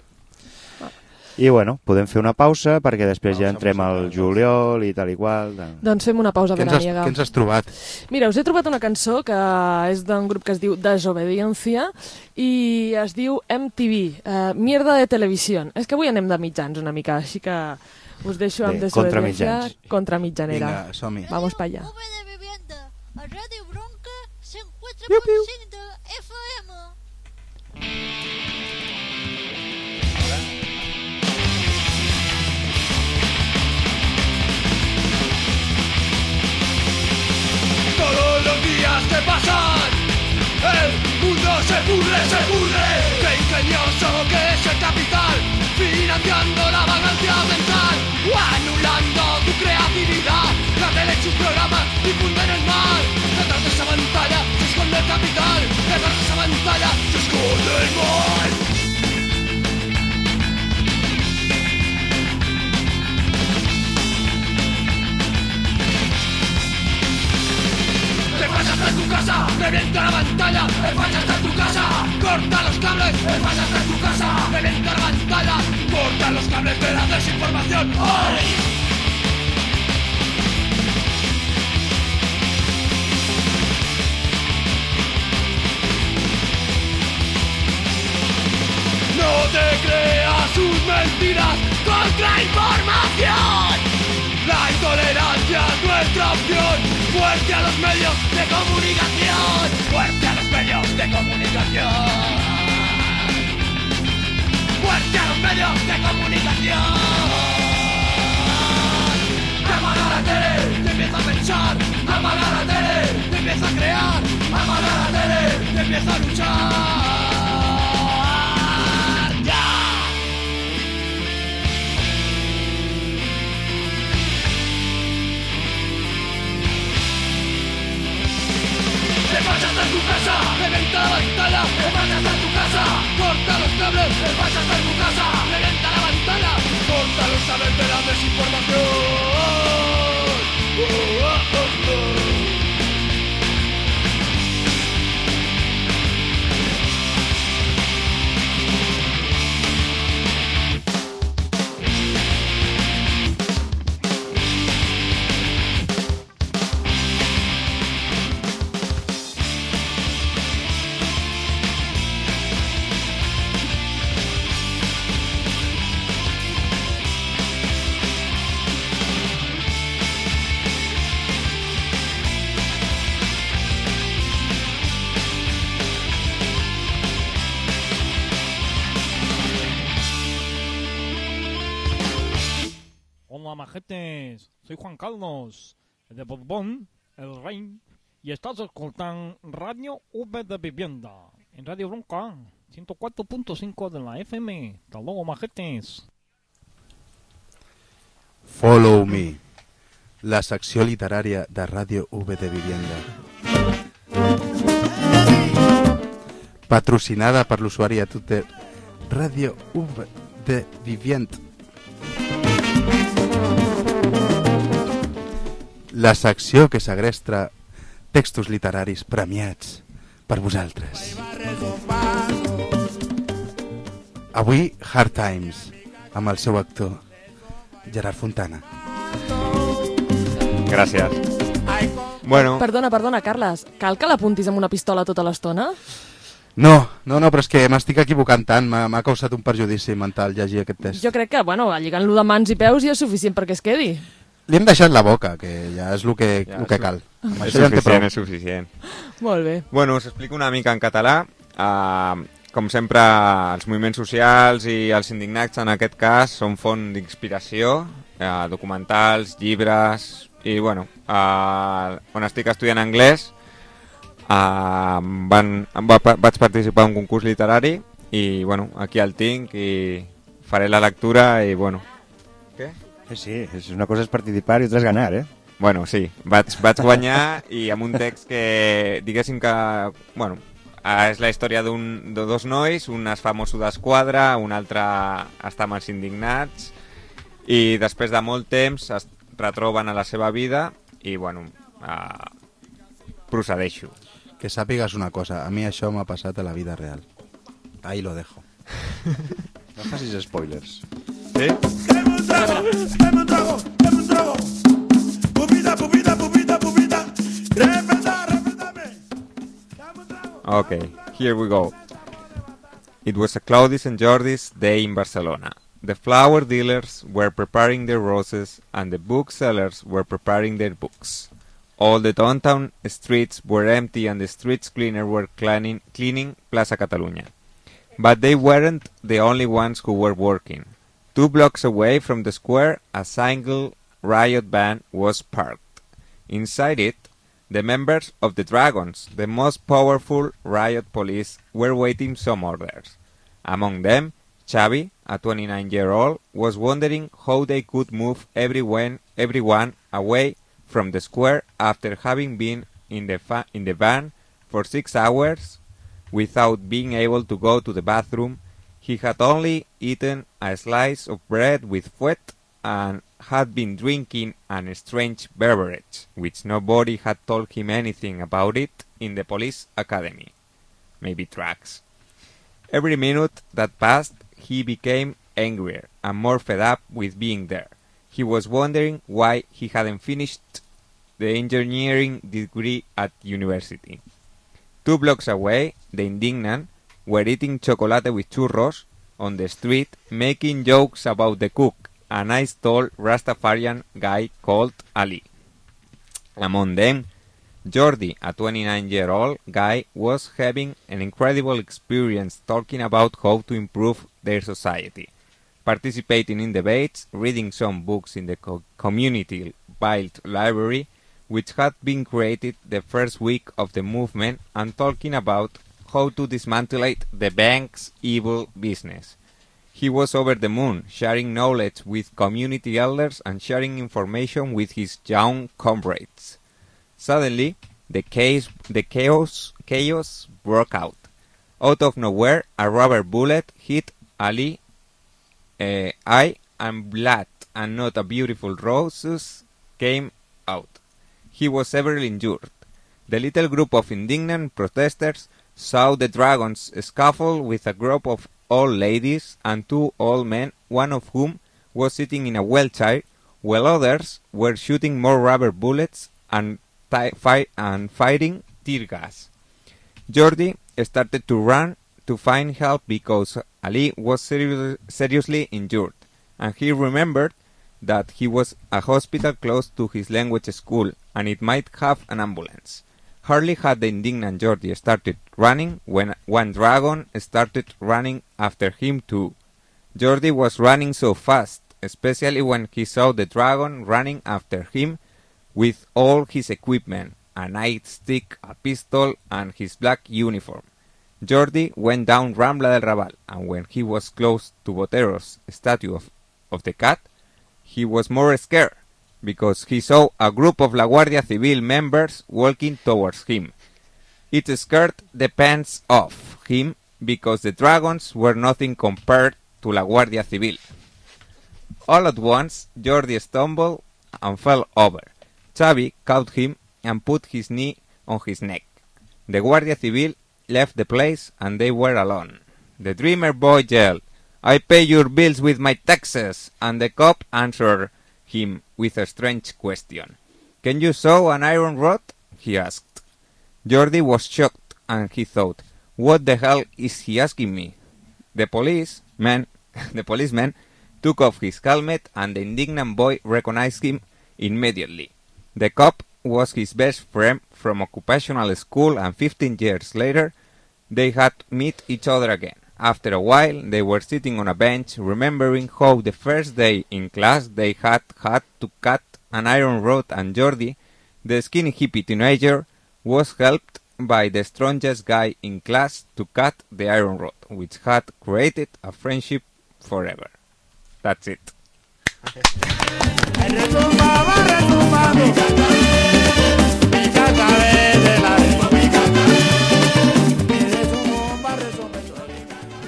I, bueno, podem fer una pausa, perquè després pausa, ja entrem al juliol i tal i qual. Doncs fem una pausa veraniega. Què ens has trobat? Mira, us he trobat una cançó que és d'un grup que es diu Desobediencia i es diu M T V, uh, Mierda de Televisió. És que avui anem de mitjans una mica, així que us deixo amb Bé, Desobediencia contra mitjanera. Vinga, som-hi. Vamos pa allá. A Radio Bronca se encuentra piu, piu. Con cinta F M. Todos los días que pasan, el mundo se pudre, se pudre. Qué ingenioso que es el capital, financiando la vagancia mental o anulando tu creatividad. La tele y sus programas difunden el mal. Detrás de esa pantalla se esconde el capital. Detrás de esa pantalla se esconde el mal. El falla está en tu casa, revienta la pantalla. El falla está en tu casa, corta los cables. El falla está en tu casa, revienta la pantalla. Corta los cables de la desinformación. ¡Ay! No te creas sus mentiras, contrainformación. La intolerancia es nuestra opción. Fuerte a los medios de comunicación. Fuerte a los medios de comunicación. Fuerte a los medios de comunicación. Apaga la tele, te empieza a pensar. Apaga la tele, te empieza a crear. Apaga la tele, te empieza a luchar. El falla está en tu casa, reventa la pantalla. El falla está en tu casa, corta los cables. El falla está en tu casa, reventa la pantalla. Corta los cables de la desinformación. Oh, oh, oh, oh. Hola, majetes. Soy Juan Carlos, de Borbón, el rey, y estás escuchando Radio V de Vivienda, en Radio Bronca. ciento cuatro punto cinco de la F M. Hasta luego, majetes. Follow Me, la secció literària de Ràdio V de Vivienda. Patrocinada per l'usuari a Twitter Ràdio V de Vivienda. La secció que segresta textos literaris premiats per vosaltres. Avui, Hard Times, amb el seu actor, Gerard Fontana. Gràcies. Bueno. Perdona, perdona, Carles, cal que l'apuntis amb una pistola tota l'estona? No, no, no, però és que m'estic equivocant tant, m'ha causat un perjudici mental llegir aquest test. Jo crec que, bueno, lligant-lo de mans i peus ja és suficient perquè es quedi. Li hem deixat la boca, que ja és el que, ja, el que cal. És suficient, és suficient. Molt bé. Bueno, us explico una mica en català. Uh, com sempre, els moviments socials i els indignats, en aquest cas, són font d'inspiració, uh, documentals, llibres, i bueno, uh, quan estic estudiant anglès, uh, van, va, vaig participar en un concurs literari, i bueno, aquí el tinc, i faré la lectura, i bueno... Què? Sí, és una cosa és participar i altra és ganar, eh? Bueno, sí, vaig, vaig guanyar i amb un text que, diguéssim que, bueno, és la història d'un, de dos nois, un es fa mosso d'esquadra, un altre està amb els indignats, i després de molt temps es retroben a la seva vida i, bueno, eh, procedeixo. Que sàpigues una cosa, a mi això m'ha passat a la vida real. Ahí lo dejo. No facis spoilers. Sí? Okay, here we go. It was a cloudy Saint Jordi's day in Barcelona. The flower dealers were preparing their roses and the booksellers were preparing their books. All the downtown streets were empty and the streets cleaners were cleaning, cleaning Plaza Catalunya. But they weren't the only ones who were working. Two blocks away from the square, a single riot van was parked. Inside it, the members of the Dragons, the most powerful riot police, were waiting some orders. Among them, Xavi, a twenty-nine-year-old, was wondering how they could move everyone, everyone away from the square after having been in the, fa in the van for six hours without being able to go to the bathroom. He had only eaten a slice of bread with fuet and had been drinking an strange beverage, which nobody had told him anything about it in the police academy. Maybe drugs. Every minute that passed, he became angrier and more fed up with being there. He was wondering why he hadn't finished the engineering degree at university. Two blocks away, the indignant were eating chocolate with churros on the street, making jokes about the cook, a nice tall Rastafarian guy called Ali. Among them, Jordi, a twenty-nine-year-old guy, was having an incredible experience talking about how to improve their society, participating in debates, reading some books in the co community-built library, which had been created the first week of the movement, and talking about how to dismantle the bank's evil business. He was over the moon, sharing knowledge with community elders and sharing information with his young comrades. Suddenly, the, case, the chaos, chaos broke out. Out of nowhere, a rubber bullet hit Ali uh, eye, and blood and not a beautiful roses came out. He was severely injured. The little group of indignant protesters saw the Dragons scuffle with a group of old ladies and two old men, one of whom was sitting in a wheelchair, while others were shooting more rubber bullets and, fi and firing tear gas. Jordi started to run to find help because Ali was seri seriously injured, and he remembered that he was a hospital close to his language school and it might have an ambulance. Hardly had the indignant Jordi started running when one dragon started running after him too. Jordi was running so fast, especially when he saw the dragon running after him with all his equipment, a nightstick, a pistol, and his black uniform. Jordi went down Rambla del Raval, and when he was close to Botero's statue of, of the cat, he was more scared, because he saw a group of La Guardia Civil members walking towards him. It scared the pants off him, because the dragons were nothing compared to La Guardia Civil. All at once, Jordi stumbled and fell over. Xavi caught him and put his knee on his neck. The Guardia Civil left the place and they were alone. The dreamer boy yelled, "I pay your bills with my taxes," and the cop answered him with a strange question. "Can you sew an iron rod?" he asked. Jordi was shocked and he thought, "What the hell is he asking me?" The policeman, the policeman took off his helmet and the indignant boy recognized him immediately. The cop was his best friend from occupational school, and fifteen years later they had met each other again. After a while they were sitting on a bench remembering how the first day in class they had had to cut an iron rod, and Jordi, the skinny hippie teenager, was helped by the strongest guy in class to cut the iron rod, which had created a friendship forever. That's it.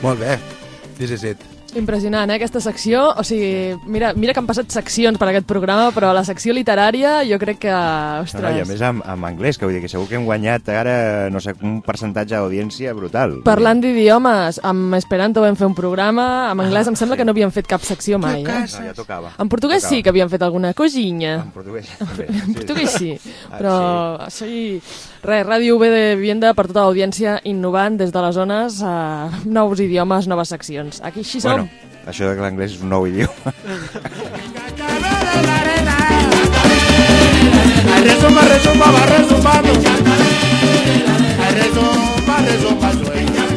Molt bé, this is it. Impressionant, eh, aquesta secció. O sigui, mira, mira que han passat seccions per aquest programa, però la secció literària jo crec que... Ostres... No, no, I a més amb, amb anglès, que vull dir que segur que hem guanyat ara, no sé, un percentatge d'audiència brutal. Parlant d'idiomes, amb Esperanto vam fer un programa, amb anglès ah, em sembla sí. que no havíem fet cap secció mai. Eh? No, ja tocava. En portuguès tocava. sí que havíem fet alguna cosina. En portuguès també. En portuguès sí, però ah, sí. Res, Ràdio U B de Vivienda per tota l'audiència innovant des de les zones, eh, nous idiomes, noves seccions. Aquí així som. Bueno, això de que l'anglès és un nou idioma. Resumba, resumba, va resumbando. Resumba, resumba, sueña.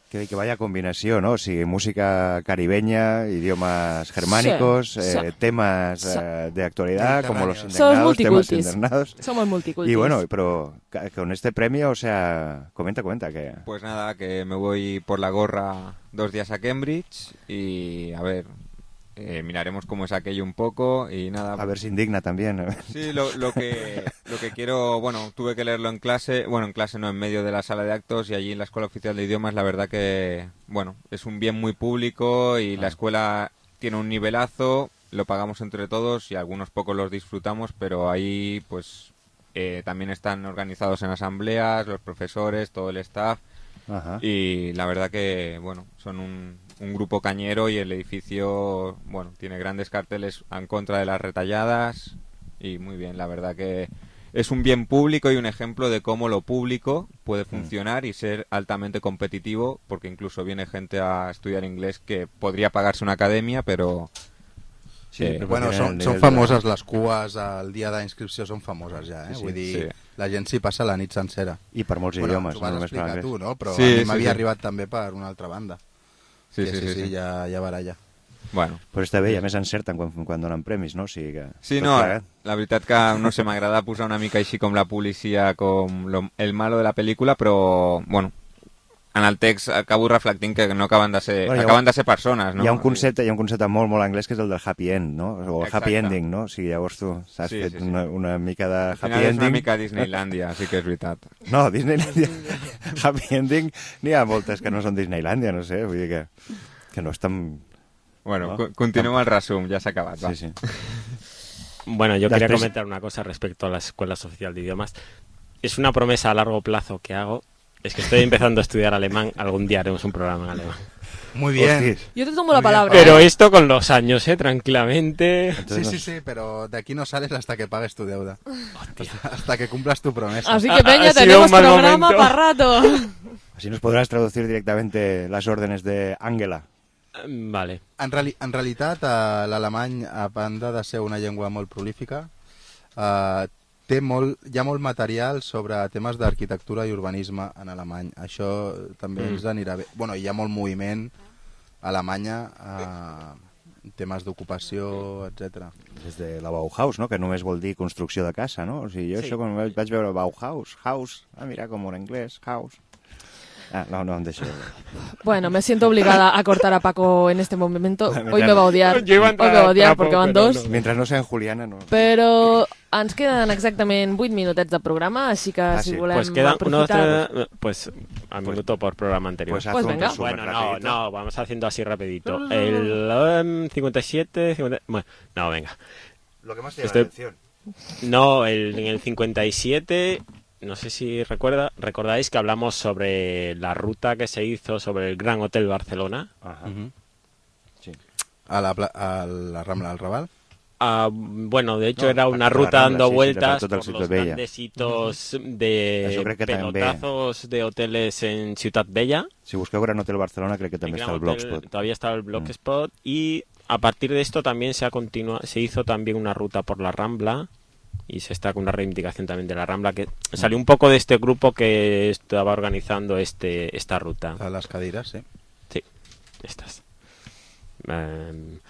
Que, que vaya combinació, ¿no? O sigui, música caribeña, idiomas germánicos, sí, eh, sí. temas eh, de actualidad, como los internados, temas internados. Somos multicultis. Y bueno, pero con este premio, o sea, comenta, comenta que... Pues nada, que me voy por la gorra dos días a Cambridge y a ver... Eh, miraremos cómo es aquello un poco y nada. A ver si indigna también. Sí, lo, lo que lo que quiero, bueno, tuve que leerlo en clase, bueno, en clase no, en medio de la sala de actos y allí en la Escuela Oficial de Idiomas, la verdad que, bueno, es un bien muy público y ah. la escuela tiene un nivelazo, lo pagamos entre todos y algunos pocos los disfrutamos, pero ahí, pues, eh, también están organizados en asambleas, los profesores, todo el staff. Ajá. Y la verdad que, bueno, son un, un grupo cañero y el edificio, bueno, tiene grandes carteles en contra de las retalladas y muy bien, la verdad que es un bien público y un ejemplo de cómo lo público puede funcionar y ser altamente competitivo, porque incluso viene gente a estudiar inglés que podría pagarse una academia, pero... Sí, eh, bueno, són, són famoses les cues al dia d'inscripció, són famoses ja, eh? Sí, Vull dir, sí. la gent s'hi passa la nit sencera. I per molts bueno, idiomes. T'ho vas no explicar tu, no? Però sí, a mi sí, m'havia sí. arribat també per una altra banda. Sí, que, sí, sí, sí, sí, sí. ja, ja baralla. Bueno. Però està bé, i a més encerten quan, quan donen premis, no? O sigui que... Sí, no, plegat. La veritat que, no sé, m'agrada posar una mica així com la policia, com lo, el malo de la pel·lícula, però, bueno, en el text acabo reflectint que no acaben de ser, bueno, acaben un, de ser persones, no? Hi ha un concepte, hi ha un concepte molt, molt anglès que és el del happy end, no? O el happy ending, no? O sigui, llavors tu has sí, fet sí, sí. Una, una mica de happy ending. És una mica Disneylandia, sí que és veritat. No, Disneylandia, happy ending, n'hi ha moltes que no són Disneylandia, no sé, vull dir que, que no és tan... Bueno, ¿no? Continúa el resumen, ya se ha acabado. Sí, sí. Bueno, yo Después... quería comentar una cosa respecto a la Escuela Oficial de Idiomas. Es una promesa a largo plazo que hago. Es que estoy empezando a estudiar alemán. Algún día haremos un programa en alemán. Muy bien. Yo te tomo la palabra. Pero esto con los años, ¿eh? Tranquilamente. Entonces, sí, sí, sí, pero de aquí no sales hasta que pagues tu deuda. Hasta, hasta que cumplas tu promesa. Así que, Peña, tenemos programa para rato. Así nos podrás traducir directamente las órdenes de Angela. Vale. En, reali en realitat, eh, l'alemany, a banda de ser una llengua molt prolífica, eh, té molt, hi ha molt material sobre temes d'arquitectura i urbanisme en alemany. Això també mm. ens anirà bé. Bueno, hi ha molt moviment a Alemanya eh, temes d'ocupació, etcètera. Des de la Bauhaus, no? Que només vol dir construcció de casa, no? O sigui, jo Sí. això quan vaig, vaig veure Bauhaus, house, ah, mira com en anglès, house. Ah, no, no, em deixo. Bueno, me siento obligada a cortar a Paco en este momento. Mientras- Hoy me va a odiar. Yo iba a Hoy entrar me va a al odiar trapo, porque van pero dos. no. Mentre no sean Juliana, no. Però ens queden exactament vuit minutets de programa, així que Ah, si sí. volem Pues queda una aprofitar... otra, pues al minuto por programa anterior. Pues haz Pues un venga. resumen Bueno, no, rapidito. no, vamos haciendo así rapidito. El um, cincuenta y siete, cincuenta, bueno, no, venga. Lo que más te llama Estoy- la atención. No, el, en el cincuenta y siete, no sé si recuerda, recordáis que hablamos sobre la ruta que se hizo sobre el Gran Hotel Barcelona. Ajá. Uh-huh. Sí. A la, pla- a la Rambla del Raval. Ah, bueno, de hecho No, era per- una per la ruta Rambla, dando sí, sí, vueltas per tot el por Ciutat los Vella. grandes hitos Això de crec que també. pelotazos de hoteles en Ciutat Bella. Si busqueu Gran Hotel Barcelona, crec que El també Gran està el Hotel- Blogspot. Todavía está el Blogspot y a partir de esto también se ha continua, se hizo también una ruta por la Rambla y se está con una reivindicación también de la Rambla que salió un poco de este grupo que estaba organizando este esta ruta. A les cadires, sí. Sí, estas. Em,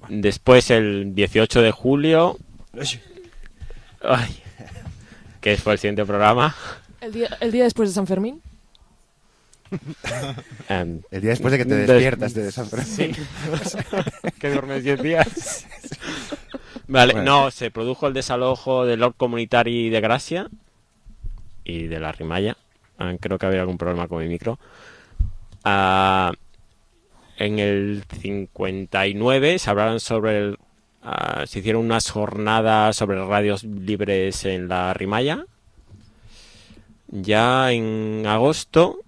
después el dieciocho de julio, ay, que fue el siguiente programa. El día, el día después de San Fermín. Em, El día después de que te des- despiertas de San Fermín. Sí. Que duermes diez días. Vale, Bueno. no, se produjo el desalojo del Lord Comunitari de Gracia y de la Rimalla. Ah, creo que había algún problema con mi micro. Ah, en el cincuenta y nueve se hablaron sobre el, ah, se hicieron unas jornadas sobre radios libres en la Rimalla. Ya en agosto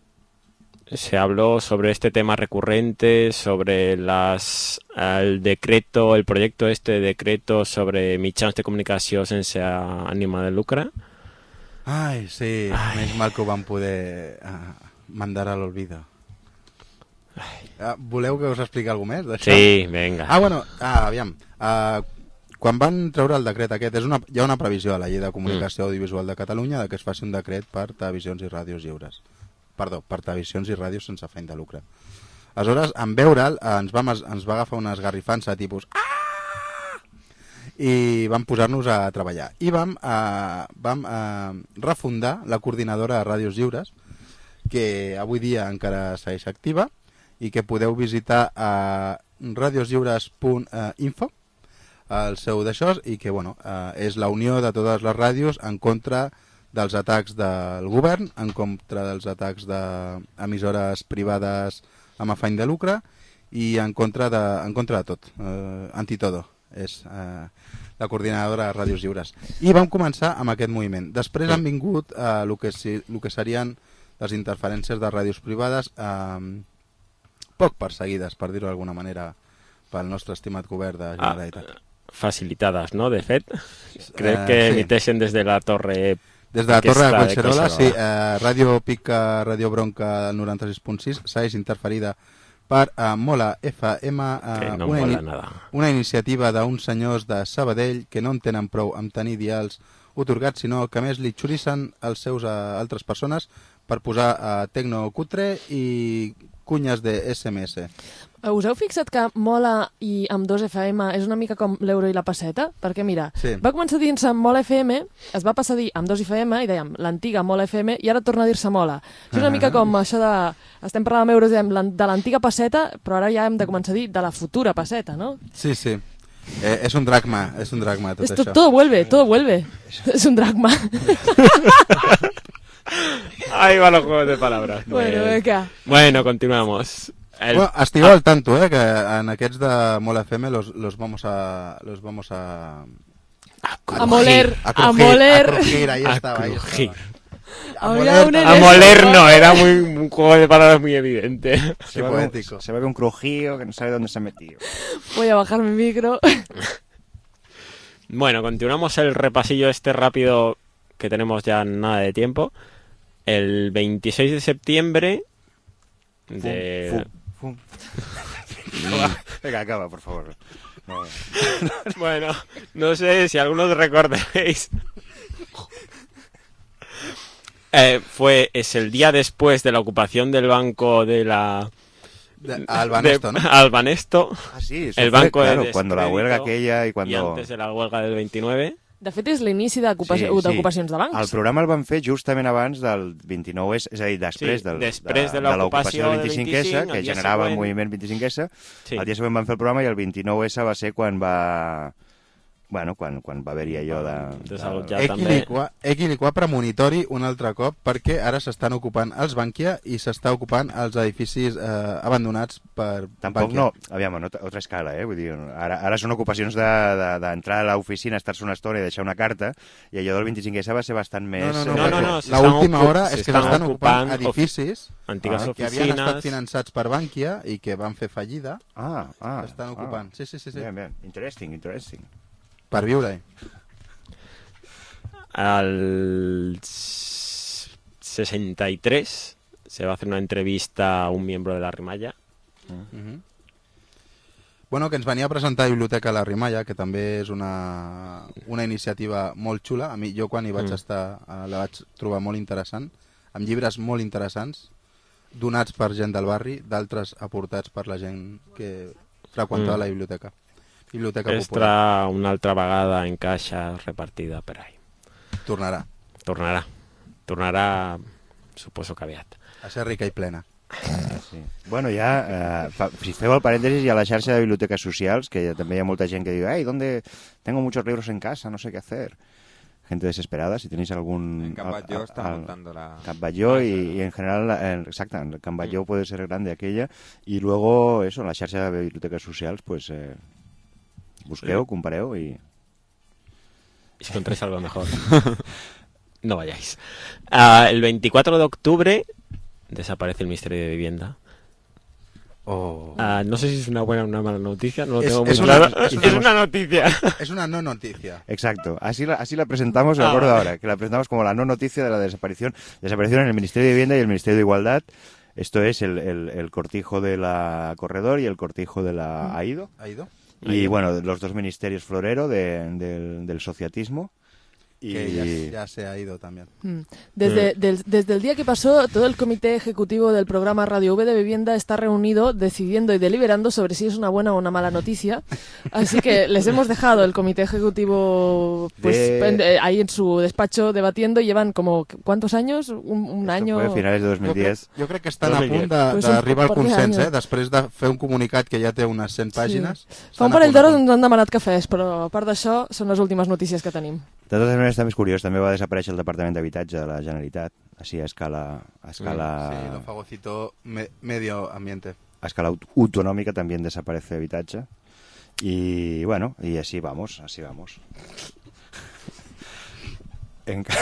se habló sobre este tema recurrente, sobre las el decreto, el proyecto este de decreto sobre mitjans de comunicació sense ànima de lucre. Ai, sí, Ai. més mal que ho vam poder uh, mandar a l'olvido. Uh, voleu que us expliqui alguna cosa més d'això? Sí, venga. Ah, bueno, ah, aviam. Uh, quan van treure el decret aquest, és una, hi ha una previsió a la llei de comunicació audiovisual de Catalunya de que es faci un decret per televisions i ràdios lliures. Perdó, per televisions i ràdios sense afany de lucre. Aleshores, en veure'l, eh, ens, vam, ens va agafar una esgarrifança tipus ah! I vam posar-nos a treballar. I vam, eh, vam eh, refundar la coordinadora de ràdios lliures, que avui dia encara segueix activa, i que podeu visitar a radioslliures punt info, el seu d'això, i que bueno, eh, és la unió de totes les ràdios en contra dels atacs del govern, en contra dels atacs d'emissores privades amb afany de lucre i en contra de, en contra de tot, eh, antitodo, és eh, la coordinadora de ràdios lliures. I vam començar amb aquest moviment. Després han vingut eh, el, que, el que serien les interferències de ràdios privades eh, poc perseguides, per dir-ho d'alguna manera, pel nostre estimat govern de Generalitat. Ah, facilitadas, ¿no? De fet. Crec Eh, que sí. emiteixen des de la torre... Des de la Torre de aquesta Collserola, sí, Collserola. eh, Ràdio Pica, Ràdio Bronca del noranta-sis punt sis, segueix interferida per eh, Mola F M, eh, Que no una, mola nada. una iniciativa d'uns senyors de Sabadell que no en tenen prou amb tenir dials otorgats, sinó que a més li xurissen els seus a altres persones per posar eh, tecno cutre i cunyes de S M S. Us heu fixat que Mola i amb dos F M és una mica com l'euro i la pesseta? Perquè mira, Sí. va començar dient-se Mola F M, es va passar a dir amb dos F M i dèiem l'antiga Mola F M i ara torna a dir-se Mola. Això és una Ah. mica com això de... Estem parlant amb euros diem, l'an- de l'antiga pesseta, però ara ja hem de començar a dir de la futura pesseta, no? Sí, sí. Eh, és un dracma, és un dracma tot Esto, això. todo vuelve, todo vuelve. Es un dracma. Ahí van los juegos de palabras. Bueno, venga. Bueno, continuamos. El... Bueno, estigueu al tanto, eh, que en aquests de Mola F M los, los vamos a... Los vamos a... A moler, a a crujir, moler. a crujir, ahí A estaba, ahí crujir. estaba. Había un A moler no, era muy, un juego de palabras muy evidente. Sí, Se va, con, poético. se va con un crujío que no sabe dónde se ha metido. Voy a bajar mi micro. Bueno, continuamos el repasillo este rápido que tenemos ya nada de tiempo. El veintiséis de septiembre de... Fum, fum. Va, venga, acaba, por favor. No. Bueno, no sé si algunos recordaréis. Eh, fue, es el día después de la ocupación del Banco de la De, al Banesto, de, ¿no? Al Banesto. Ah, sí, eso el fue, banco claro, de cuando la huelga aquella y cuando... Y antes de la huelga del veintinueve. De fet, és l'inici d'ocupacions Sí, sí. de bancs. El programa el van fer justament abans del vint-i-nou essa, és a dir, després, Sí, del, després de de l'ocupació l'ocupació del del vint-i-cinc essa, vint-i-cinc, que el dia generava el següent- moviment vint-i-cinc essa. Sí. El dia següent van fer el programa i el vint-i-nou essa va ser quan va... Bueno, quan, quan va haver-hi allò de... Desallotjar de... Equiliqua, Equiliqua premonitori un altre cop perquè ara s'estan ocupant els Bankia i s'està ocupant els edificis eh, abandonats per Tampoc Bankia. no, aviam, no, otra escala, eh? Vull dir, ara, ara són ocupacions d'entrar de, de, a l'oficina, estar-se una estona i deixar una carta, i allò del vint-i-cinc essa va ser bastant més... No, no, no, No, no, perquè no, la última hora és que s'estan s'estan ocupant ocupant edificis antigues ah, que havien estat oficines. finançats per Bankia i que van fer fallida. Ah, ah. S'estan ocupant. Ah. Sí, sí, sí, sí. Bien, bien. Interesting, interesting. Per viure-hi. Al sesenta y tres se va a hacer una entrevista a un miembro de la Rimalla. Mm-hmm. Bueno, que ens venia a presentar Biblioteca La Rimalla, que també és una, una iniciativa molt xula. A mi, jo quan hi vaig Mm. estar eh, la vaig trobar molt interessant, amb llibres molt interessants, donats per gent del barri, d'altres aportats per la gent que freqüentava Mm. la biblioteca. Biblioteca Popular. Estarà una altra vegada en caixa repartida per ahí. Tornarà. Tornarà. Tornarà, suposo que aviat. A ser rica i plena. Sí. Bueno, ja, eh, fa, si feu el parèntesis, hi ha la xarxa de biblioteques socials, que ja, també hi ha molta gent que diu, ay, ¿dónde tengo muchos libros en casa? No sé qué hacer. Gente desesperada, si tenéis algún... En Can Batlló al- está al- montando la- Can Batlló y, y en general, en, exacto, en Can Batlló puede ser grande aquella, y luego, eso, en la xarxa de biblioteques socials, pues, eh, busqueu, Sí. compareu y... Y si encontráis algo mejor, no vayáis. Ah, el veinticuatro de octubre desaparece el Ministerio de Vivienda. Oh. Ah, no sé si es una buena o una mala noticia, no lo Es- tengo muy es una- claro. es Es una- una noticia. Es una no noticia. Exacto, así la, así la presentamos, me Ah, acuerdo vale. ahora, que la presentamos como la no noticia de la desaparición. Desaparición en el Ministerio de Vivienda y el Ministerio de Igualdad. Esto es el, el, el cortijo de la Corredor y el cortijo de la AIDO. ¿Ha ido? Y bueno, los dos ministerios florero de- del, del sociatismo. Y... Que ya, ya se ha ido también. Mm. Desde, del- desde el día que pasó, todo el comité ejecutivo del programa Radio V de Vivienda está reunido decidiendo y deliberando sobre si es una buena o una mala noticia. Así que les hemos dejado el comité ejecutivo pues De- en- eh, ahí en su despacho debatiendo. Llevan como, ¿cuántos años? Un, un Esto año... fue a finales de dos mil diez. Jo crec que estan dos a mil punt diez. de- Pues un d'arribar al par de consens, anys. eh? Després de fer un comunicat que ja té unes cent pàgines. Fa estan un a parell punt, a d'hores punt. ens han demanat cafès, però a part d'això són les últimes notícies que tenim. De totes maneres, també és curiós, també va desaparèixer el Departament d'Habitatge de la Generalitat, així a escala, a escala, Sí, lo fagocito me- medio ambiente. a escala aut- autonómica también desaparece Habitatge. Y bueno, y así vamos, así vamos. En ca-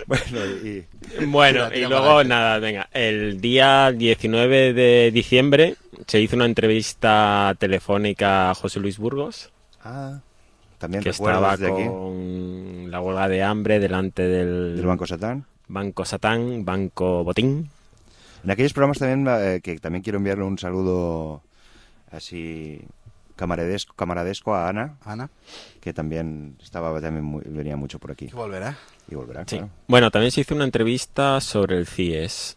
bueno, y... Bueno, Tira, tira y para luego adelante. nada, venga, el día diecinueve de diciembre se hizo una entrevista telefónica a José Luis Burgos, Ah, también que recuerdo estaba desde aquí, con la huelga de hambre delante del, del Banco Satán. Banco Satán, Banco Botín. En aquellos programas también, eh, que también quiero enviarle un saludo así camaradesco, camaradesco a Ana, Ana, que también estaba también muy- venía mucho por aquí que volverá. y volverá, Sí. claro. Bueno, también se hizo una entrevista sobre el C I E S.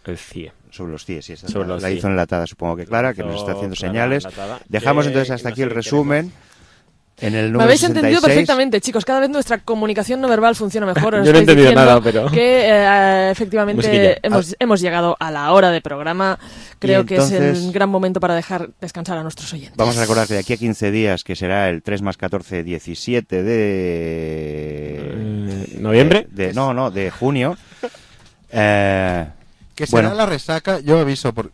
El C I E. Sobre los C I E, sí, esa Sobre la, los la C I E. hizo enlatada, supongo que Clara, que nos está haciendo Clara señales. enlatada. Dejamos Que entonces hasta no aquí sé el qué resumen. En el Me número habéis sesenta y entendido seis. perfectamente, chicos. Cada vez nuestra comunicación no verbal funciona mejor. Os Yo no he estoy entendido diciendo nada, pero- Que eh, efectivamente Musiquilla. hemos, hemos llegado a la hora de programa. Creo que es entonces- el gran momento para dejar descansar a nuestros oyentes. Vamos a recordar que de aquí a quince días, que será el tres más catorce, diecisiete de... Eh, ¿Noviembre? De, de- no, no, de junio. Eh, Que será bueno, la resaca, yo aviso, por...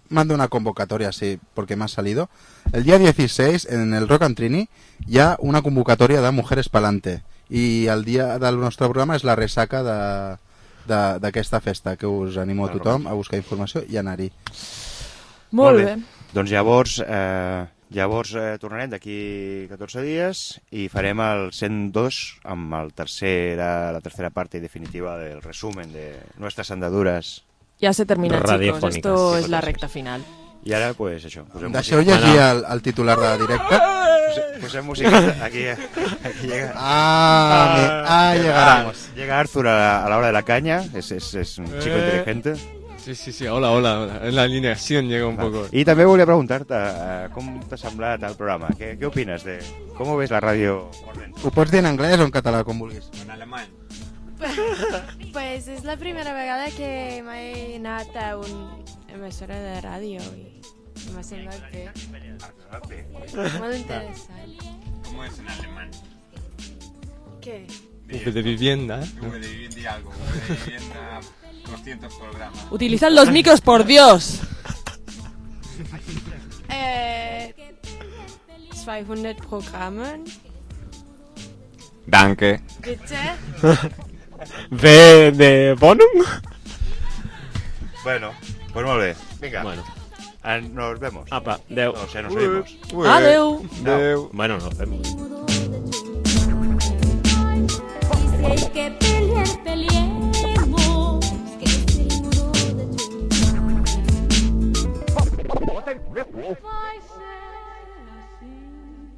mando una convocatoria así, porque me ha salido. El día dieciséis, en el Rock and Trini, hi ha una convocatòria de Mujeres Palante. I el dia del nostre programa és la resaca de d'aquesta festa, que us animo a tothom a buscar informació i anar-hi. Molt bé. Doncs llavors, eh, llavors eh, tornarem d'aquí catorze dies i farem el cent dos amb el tercera, la tercera parte y definitiva del resumen de nuestras andaduras. Ya se termina, chicos. Radiofónicas. Esto es la recta final. I ara, pues, això. Posem Deixeu música. llegir el, el titular de directe. Posem, posem música. Aquí, aquí llega... Ah, mi- ah, llegaremos. Llega Arthur a la, a la hora de la caña. Es, es, es un chico Eh. inteligente. Sí, sí, sí, hola, hola, hola. La alineación llega un poco. I també volia preguntar-te uh, com t'ha semblat el programa. Què, què opines de... Com ves la ràdio? Ho pots dir en anglès o en català, com vulguis. En alemany. Pues és la primera vegada que m'he anat a una emissora de ràdio i m'ha semblat bé. Molt interessant. ¿Cómo es en alemán? ¿Qué? V de vivienda. V de vivienda y algo. V de vivienda, doscientos programas. Utilizan los micros, por Dios. Eh, zweihundert Programme. Danke. Bitte? V de Bonum. Bueno, pues molt bé. Vinga. Bueno. Eh, nos vemos. Apa, adeu. No sé, nos oímos. Adeu. Adeu. Bueno, nos vemos. Si hay que pelear, peleemos. Que es el muro de tu...